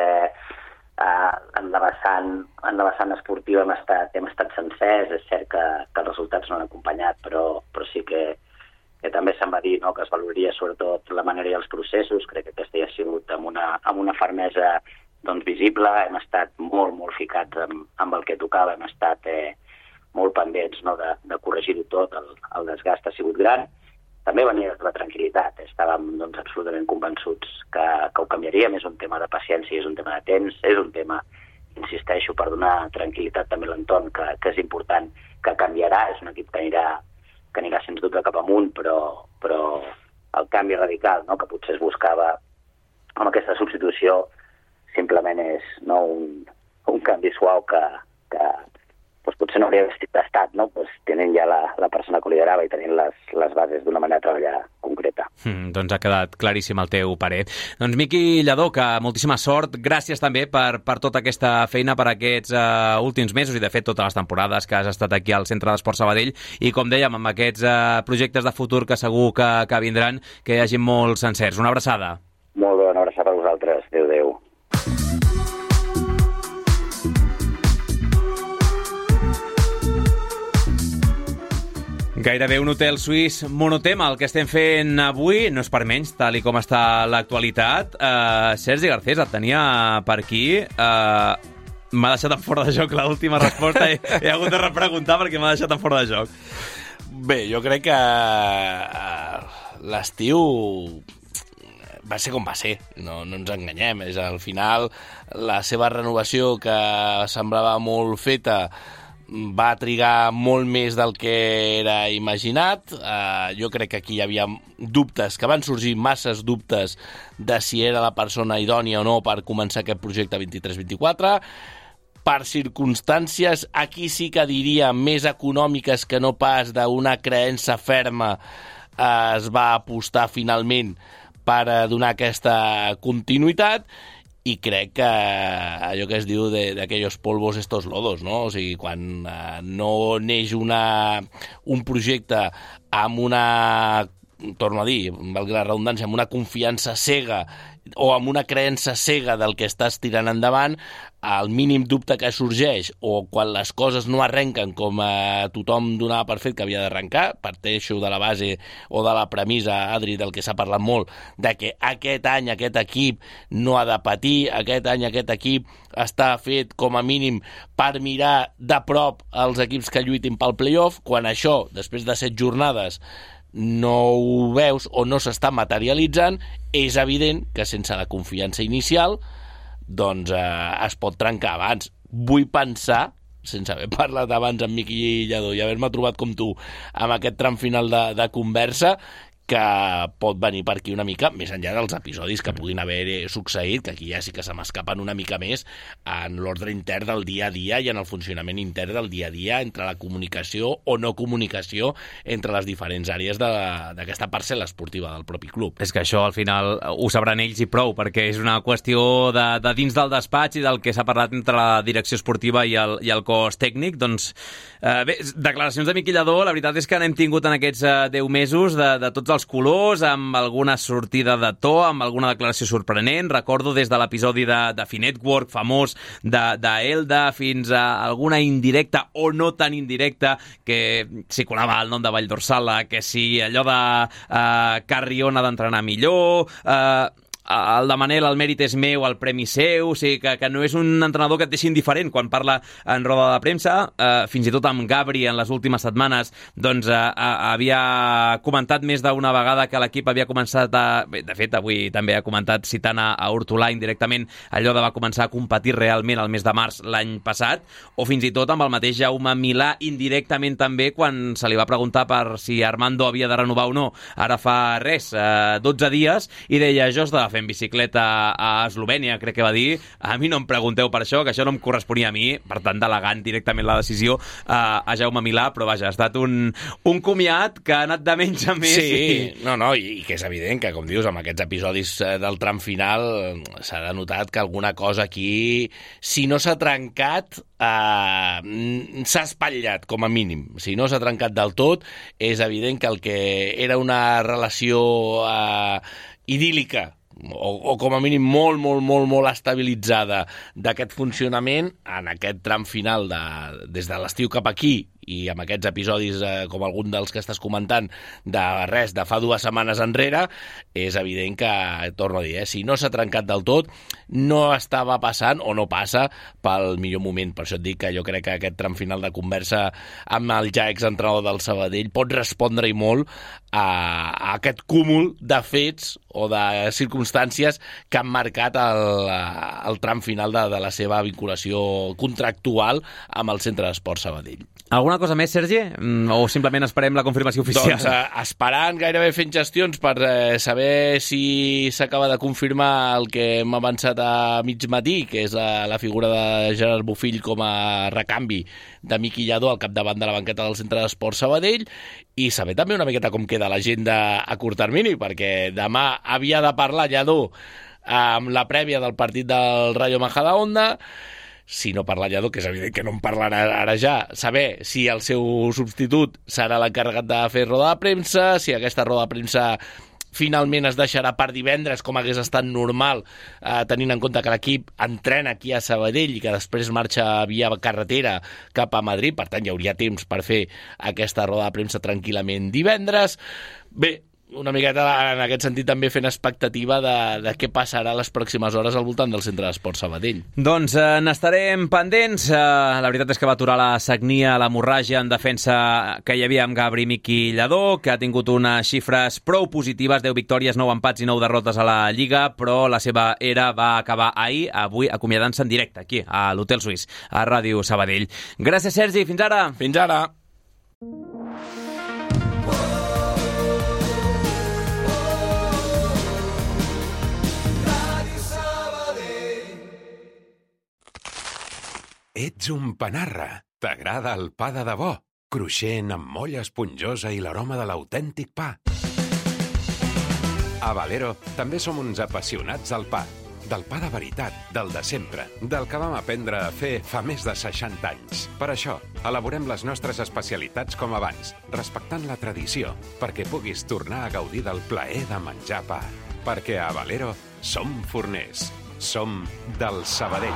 en la vessant esportiva hem estat sencers. És cert que els resultats no han acompanyat, però sí que també se'n va dir, no, que es valoraria sobretot la manera i els processos. Crec que aquesta ja ha sigut amb una fermesa doncs, visible. Hem estat molt ficats amb el que tocava, hem estat molt pendents, no, de corregir-ho tot. El desgast ha sigut gran. També venia de la tranquil·litat. Estàvem doncs, absolutament convençuts que ho canviaríem. És un tema de paciència, és un tema de temps, és un tema, insisteixo, per donar tranquil·litat també a l'entorn, que és important, que canviarà. És un equip que anirà sens dubte cap amunt, però el canvi radical, no, que potser es buscava amb aquesta substitució simplement és, no, un canvi suau que doncs potser no hauria estat, no? Doncs tenint ja la persona que ho liderava i tenint les bases d'una manera de treballar concreta. Doncs ha quedat claríssim el teu parer. Doncs Miqui Lladó, que moltíssima sort. Gràcies també per tota aquesta feina, per aquests últims mesos i de fet totes les temporades que has estat aquí al Centre d'Esports Sabadell, i com dèiem, amb aquests projectes de futur que segur que vindran, que hi hagi molts encerts. Una abraçada. Molt bé, una abraçada a vosaltres. Adéu. Gairebé un hotel suís monotema, el que estem fent avui, no és per menys, tal i com està l'actualitat. Sergi Garcés, et tenia per aquí. M'ha deixat en fora de joc l'última resposta. He hagut de repreguntar perquè m'ha deixat en fora de joc. Bé, jo crec que l'estiu va ser com va ser, no ens enganyem. És al final la seva renovació, que semblava molt feta, va trigar molt més del que era imaginat. Jo crec que aquí hi havia dubtes, que van sorgir masses dubtes de si era la persona idònia o no per començar aquest projecte 23-24. Per circumstàncies, aquí sí que diria, més econòmiques que no pas d'una creença ferma, es va apostar finalment per donar aquesta continuïtat. I crec que allò que es diu de aquellos polvos estos lodos, no? O sigui, quan no neix un projecte amb una, torno a dir, valgui la redundància, amb una confiança cega o amb una creença cega del que estàs tirant endavant, el mínim dubte que sorgeix o quan les coses no arrenquen com tothom donava per fet que havia d'arrencar, parteixo de la base o de la premissa, Adri, del que s'ha parlat molt, de que aquest any aquest equip no ha de patir, aquest any aquest equip està fet com a mínim per mirar de prop els equips que lluitin pel play-off. Quan això, després de 7 jornades, no ho veus o no s'està materialitzant, és evident que sense la confiança inicial doncs es pot trencar abans. Vull pensar, sense haver parlat abans amb Miqui Lladó i haver-me trobat com tu amb aquest tram final de conversa, que pot venir per aquí una mica, més enllà dels episodis que puguin haver succeït, que aquí ja sí que se m'escapen una mica més en l'ordre intern del dia a dia i en el funcionament intern del dia a dia entre la comunicació o no comunicació entre les diferents àrees d'aquesta parcel·la esportiva del propi club. És que això al final ho sabran ells i prou, perquè és una qüestió de dins del despatx i del que s'ha parlat entre la direcció esportiva i el cos tècnic. Doncs bé, declaracions de Miqui Lladó, la veritat és que n'hem tingut en aquests 10 mesos de tots els colors, amb alguna sortida de to, amb alguna declaració sorprenent. Recordo des de l'episodi de Finetwork famós d'Elda fins a alguna indirecta o no tan indirecta, que s'hi colava el nom de Valldorsala, que si allò de Carrion ha d'entrenar millor, el de Manel, el mèrit és meu, el premi seu, o sigui que no és un entrenador que et deixi indiferent quan parla en roda de premsa. Fins i tot amb Gabri en les últimes setmanes doncs havia comentat més d'una vegada que l'equip havia començat bé, de fet avui també ha comentat, citant a Hortolà indirectament, allò de va començar a competir realment el mes de març l'any passat, o fins i tot amb el mateix Jaume Milà indirectament també quan se li va preguntar per si Armando havia de renovar o no, ara fa res, 12 dies, i deia, jo estava fent bicicleta a Eslovènia, crec que va dir, a mi no em pregunteu per això, que això no em corresponia a mi, per tant delegant directament la decisió a Jaume Milà, però vaja, ha estat un comiat que ha anat de menys a més. Sí, i que és evident que, com dius, amb aquests episodis del tram final s'ha denotat que alguna cosa aquí, si no s'ha trencat, s'ha espatllat, com a mínim. Si no s'ha trencat del tot, és evident que el que era una relació idíl·lica, o com a mínim molt estabilitzada d'aquest funcionament, en aquest tram final des de l'estiu cap aquí i amb aquests episodis com algun dels que estàs comentant de fa 2 setmanes enrere, és evident que, torno a dir, si no s'ha trencat del tot, no estava passant o no passa pel millor moment. Per això et dic que jo crec que aquest tram final de conversa amb el ja exentrenador del Sabadell pot respondre-hi molt a aquest cúmul de fets o de circumstàncies que han marcat el tram final de la seva vinculació contractual amb el Centre d'Esports Sabadell. Alguna cosa més, Sergi? O simplement esperem la confirmació oficial? Doncs esperant, gairebé fent gestions per saber si s'acaba de confirmar el que hem avançat a mig matí, que és la figura de Gerard Bofill com a recanvi de Miqui Lladó al capdavant de la banqueta del Centre d'Esports Sabadell, i saber també una miqueta com queda l'agenda a curt termini, perquè demà havia de parlar Lladó amb la prèvia del partit del Rayo Majadahonda. Si no parla Lladó, que és evident que no en parlarà ara ja, saber si el seu substitut serà l'encarregat de fer roda de premsa, si aquesta roda de premsa finalment es deixarà per divendres, com hagués estat normal, tenint en compte que l'equip entrena aquí a Sabadell i que després marxa via carretera cap a Madrid, per tant hi hauria temps per fer aquesta roda de premsa tranquil·lament divendres. Bé, una miqueta en aquest sentit també fent expectativa de què passarà les pròximes hores al voltant del Centre d'Esports Sabadell. Doncs n'estarem pendents. La veritat és que va aturar la sagnia, l'hemorràgia en defensa que hi havia amb Gabri Miqui Lladó, que ha tingut unes xifres prou positives, 10 victòries, 9 empats i 9 derrotes a la Lliga, però la seva era va acabar ahir, avui acomiadant-se en directe aquí a l'Hotel Suís, a Ràdio Sabadell. Gràcies, Sergi. Fins ara. Fins ara. Ets un panarra. T'agrada el pa de debò, cruixent amb molla esponjosa i l'aroma de l'autèntic pa. A Valero també som uns apassionats del pa de veritat, del de sempre, del que vam aprendre a fer fa més de 60 anys. Per això, elaborem les nostres especialitats com abans, respectant la tradició, perquè puguis tornar a gaudir del plaer de menjar pa. Perquè a Valero som forners, som del Sabadell.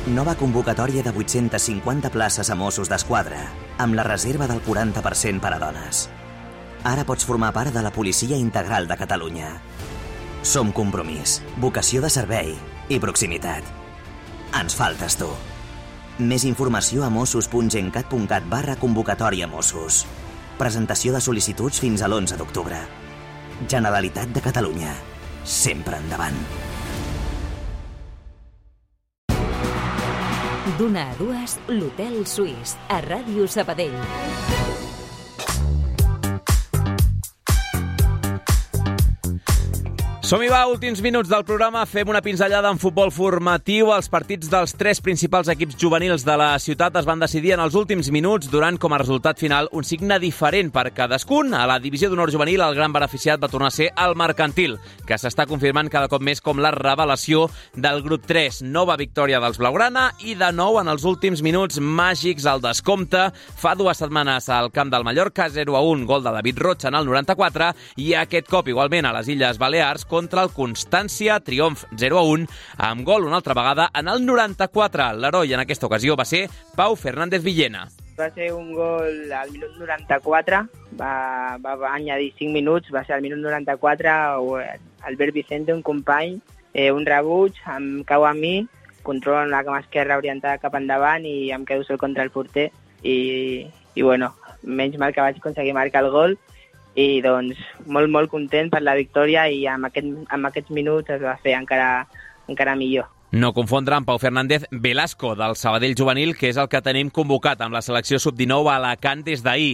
Nova convocatòria de 850 places a Mossos d'Esquadra, amb la reserva del 40% per a dones. Ara pots formar part de la Policia Integral de Catalunya. Som compromís, vocació de servei i proximitat. Ens faltes tu. Més informació a mossos.gencat.cat/convocatòria Mossos. Presentació de sol·licituds fins a l'11 d'octubre. Generalitat de Catalunya. Sempre endavant. D'una a dues, l'Hotel Suís, a Ràdio Sabadell. Som-hi va, últims minuts del programa. Fem una pinzellada en futbol formatiu. Els partits dels 3 principals equips juvenils de la ciutat es van decidir en els últims minuts, donant com a resultat final un signe diferent per cadascun. A la divisió d'honor juvenil, el gran beneficiat va tornar a ser el Mercantil, que s'està confirmant cada cop més com la revelació del grup 3. Nova victòria dels Blaugrana i de nou en els últims minuts màgics al descompte. Fa 2 setmanes al camp del Mallorca, 0-1, gol de David Roig en el 94, i aquest cop igualment a les Illes Balears contra el Constància, triomf 0-1, amb gol una altra vegada en el 94. L'heroi en aquesta ocasió va ser Pau Fernández Villena. Va ser un gol al minut 94, va añadir 5 minuts, va ser al minut 94, Albert Vicente, un company, un rebuig, em cau a mi, controlo amb la cama esquerra orientada cap endavant i em quedo sol contra el porter i bueno, menys mal que vaig aconseguir marcar el gol i doncs molt content per la victòria i amb aquests minuts es va fer encara millor. No confondre amb Pau Fernández Velasco, del Sabadell juvenil, que és el que tenim convocat amb la selecció sub-19 a Alacant des d'ahir.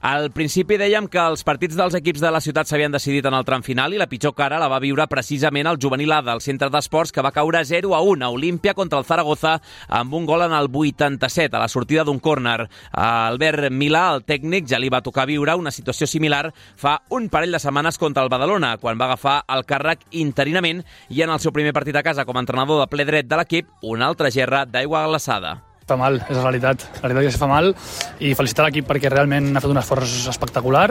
Al principi dèiem que els partits dels equips de la ciutat s'havien decidit en el tram final i la pitjor cara la va viure precisament el juvenil A del centre d'esports, que va caure 0-1 a Olímpia contra el Zaragoza amb un gol en el 87 a la sortida d'un córner. A Albert Milà, el tècnic, ja li va tocar viure una situació similar fa un parell de setmanes contra el Badalona, quan va agafar el càrrec interinament i en el seu primer partit a casa com a entrenador de ple dret de l'equip, una altra gerra d'aigua glaçada. Fa mal, és la realitat. La veritat és que fa mal i felicitar l'equip perquè realment ha fet un esforç espectacular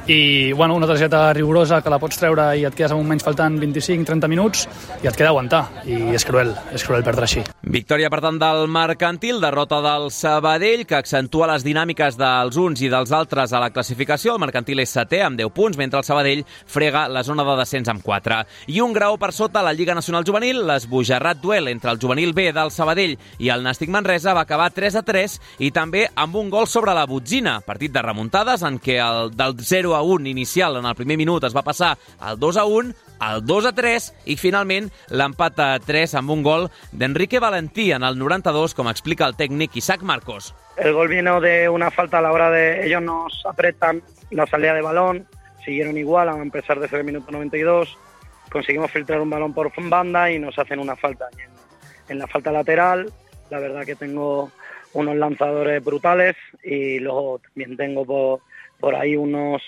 i bueno, una targeta rigorosa que la pots treure i et quedes amb un menys faltant 25-30 minuts i et queda aguantar i és cruel perdre així. Victòria per tant del Mercantil, derrota del Sabadell, que accentua les dinàmiques dels uns i dels altres a la classificació. El Mercantil és 7è amb 10 punts, mentre el Sabadell frega la zona de descens amb 4. I un grau per sota a la Lliga Nacional Juvenil, l'esbojarrat duel entre el juvenil B del Sabadell i el Nàstic Manresa va acabar 3-3 i també amb un gol sobre la botzina. Partit de remuntades en què el del 0-1 inicial en el primer minut es va passar al 2-1, al 2-3 i finalment l'empat a 3 amb un gol d'Enrique Valentí en el 92, com explica el tècnic Isaac Marcos. El gol vino de una falta a la hora de ellos nos apretan la salida de balón, siguieron igual a pesar de ser el minuto 92, conseguimos filtrar un balón por banda y nos hacen una falta. En la falta lateral, la verdad que tengo unos lanzadores brutales y luego también tengo por ahí unos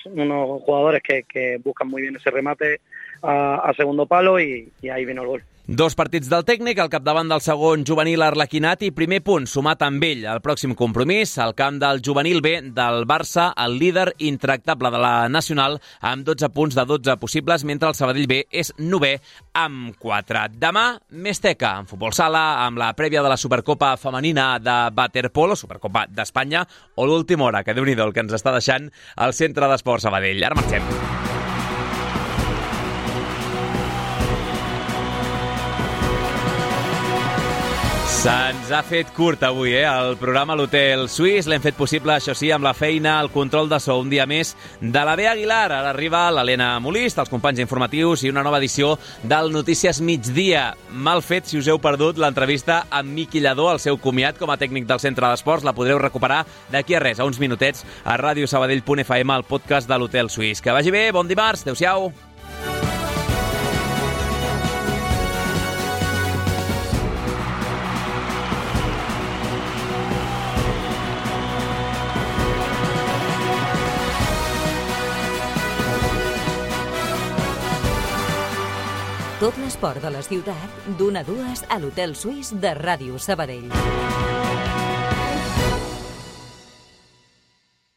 jugadores que buscan muy bien ese remate a segundo palo y ahí vino el gol. 2 partits del tècnic, al capdavant del segon juvenil Arlequinat i primer punt sumat amb ell. El pròxim compromís, al camp del juvenil B del Barça, el líder intractable de la Nacional, amb 12 punts de 12 possibles, mentre el Sabadell B és 9è amb 4. Demà, més teca, en futbol sala, amb la prèvia de la Supercopa femenina de waterpolo, Supercopa d'Espanya, o l'última hora, que déu-n'hi-do el que ens està deixant el Centre d'Esports Sabadell. Ara marxem. Se'ns ha fet curt avui, el programa L'Hotel Suís. L'hem fet possible, això sí, amb la feina, el control de so, un dia més, de la Bea Aguilar. Ara arriba l'Helena Molist, els companys informatius i una nova edició del Notícies Migdia. Mal fet si us heu perdut l'entrevista amb Miqui Lladó, el seu comiat com a tècnic del Centre d'Esports. La podreu recuperar d'aquí a res, a uns minutets, a radiosabadell.fm, el podcast de l'Hotel Suís. Que vagi bé, bon dimarts, adéu-siau. Tot l'esport de la ciutat, d'una a dues a l'Hotel Suís de Ràdio Sabadell.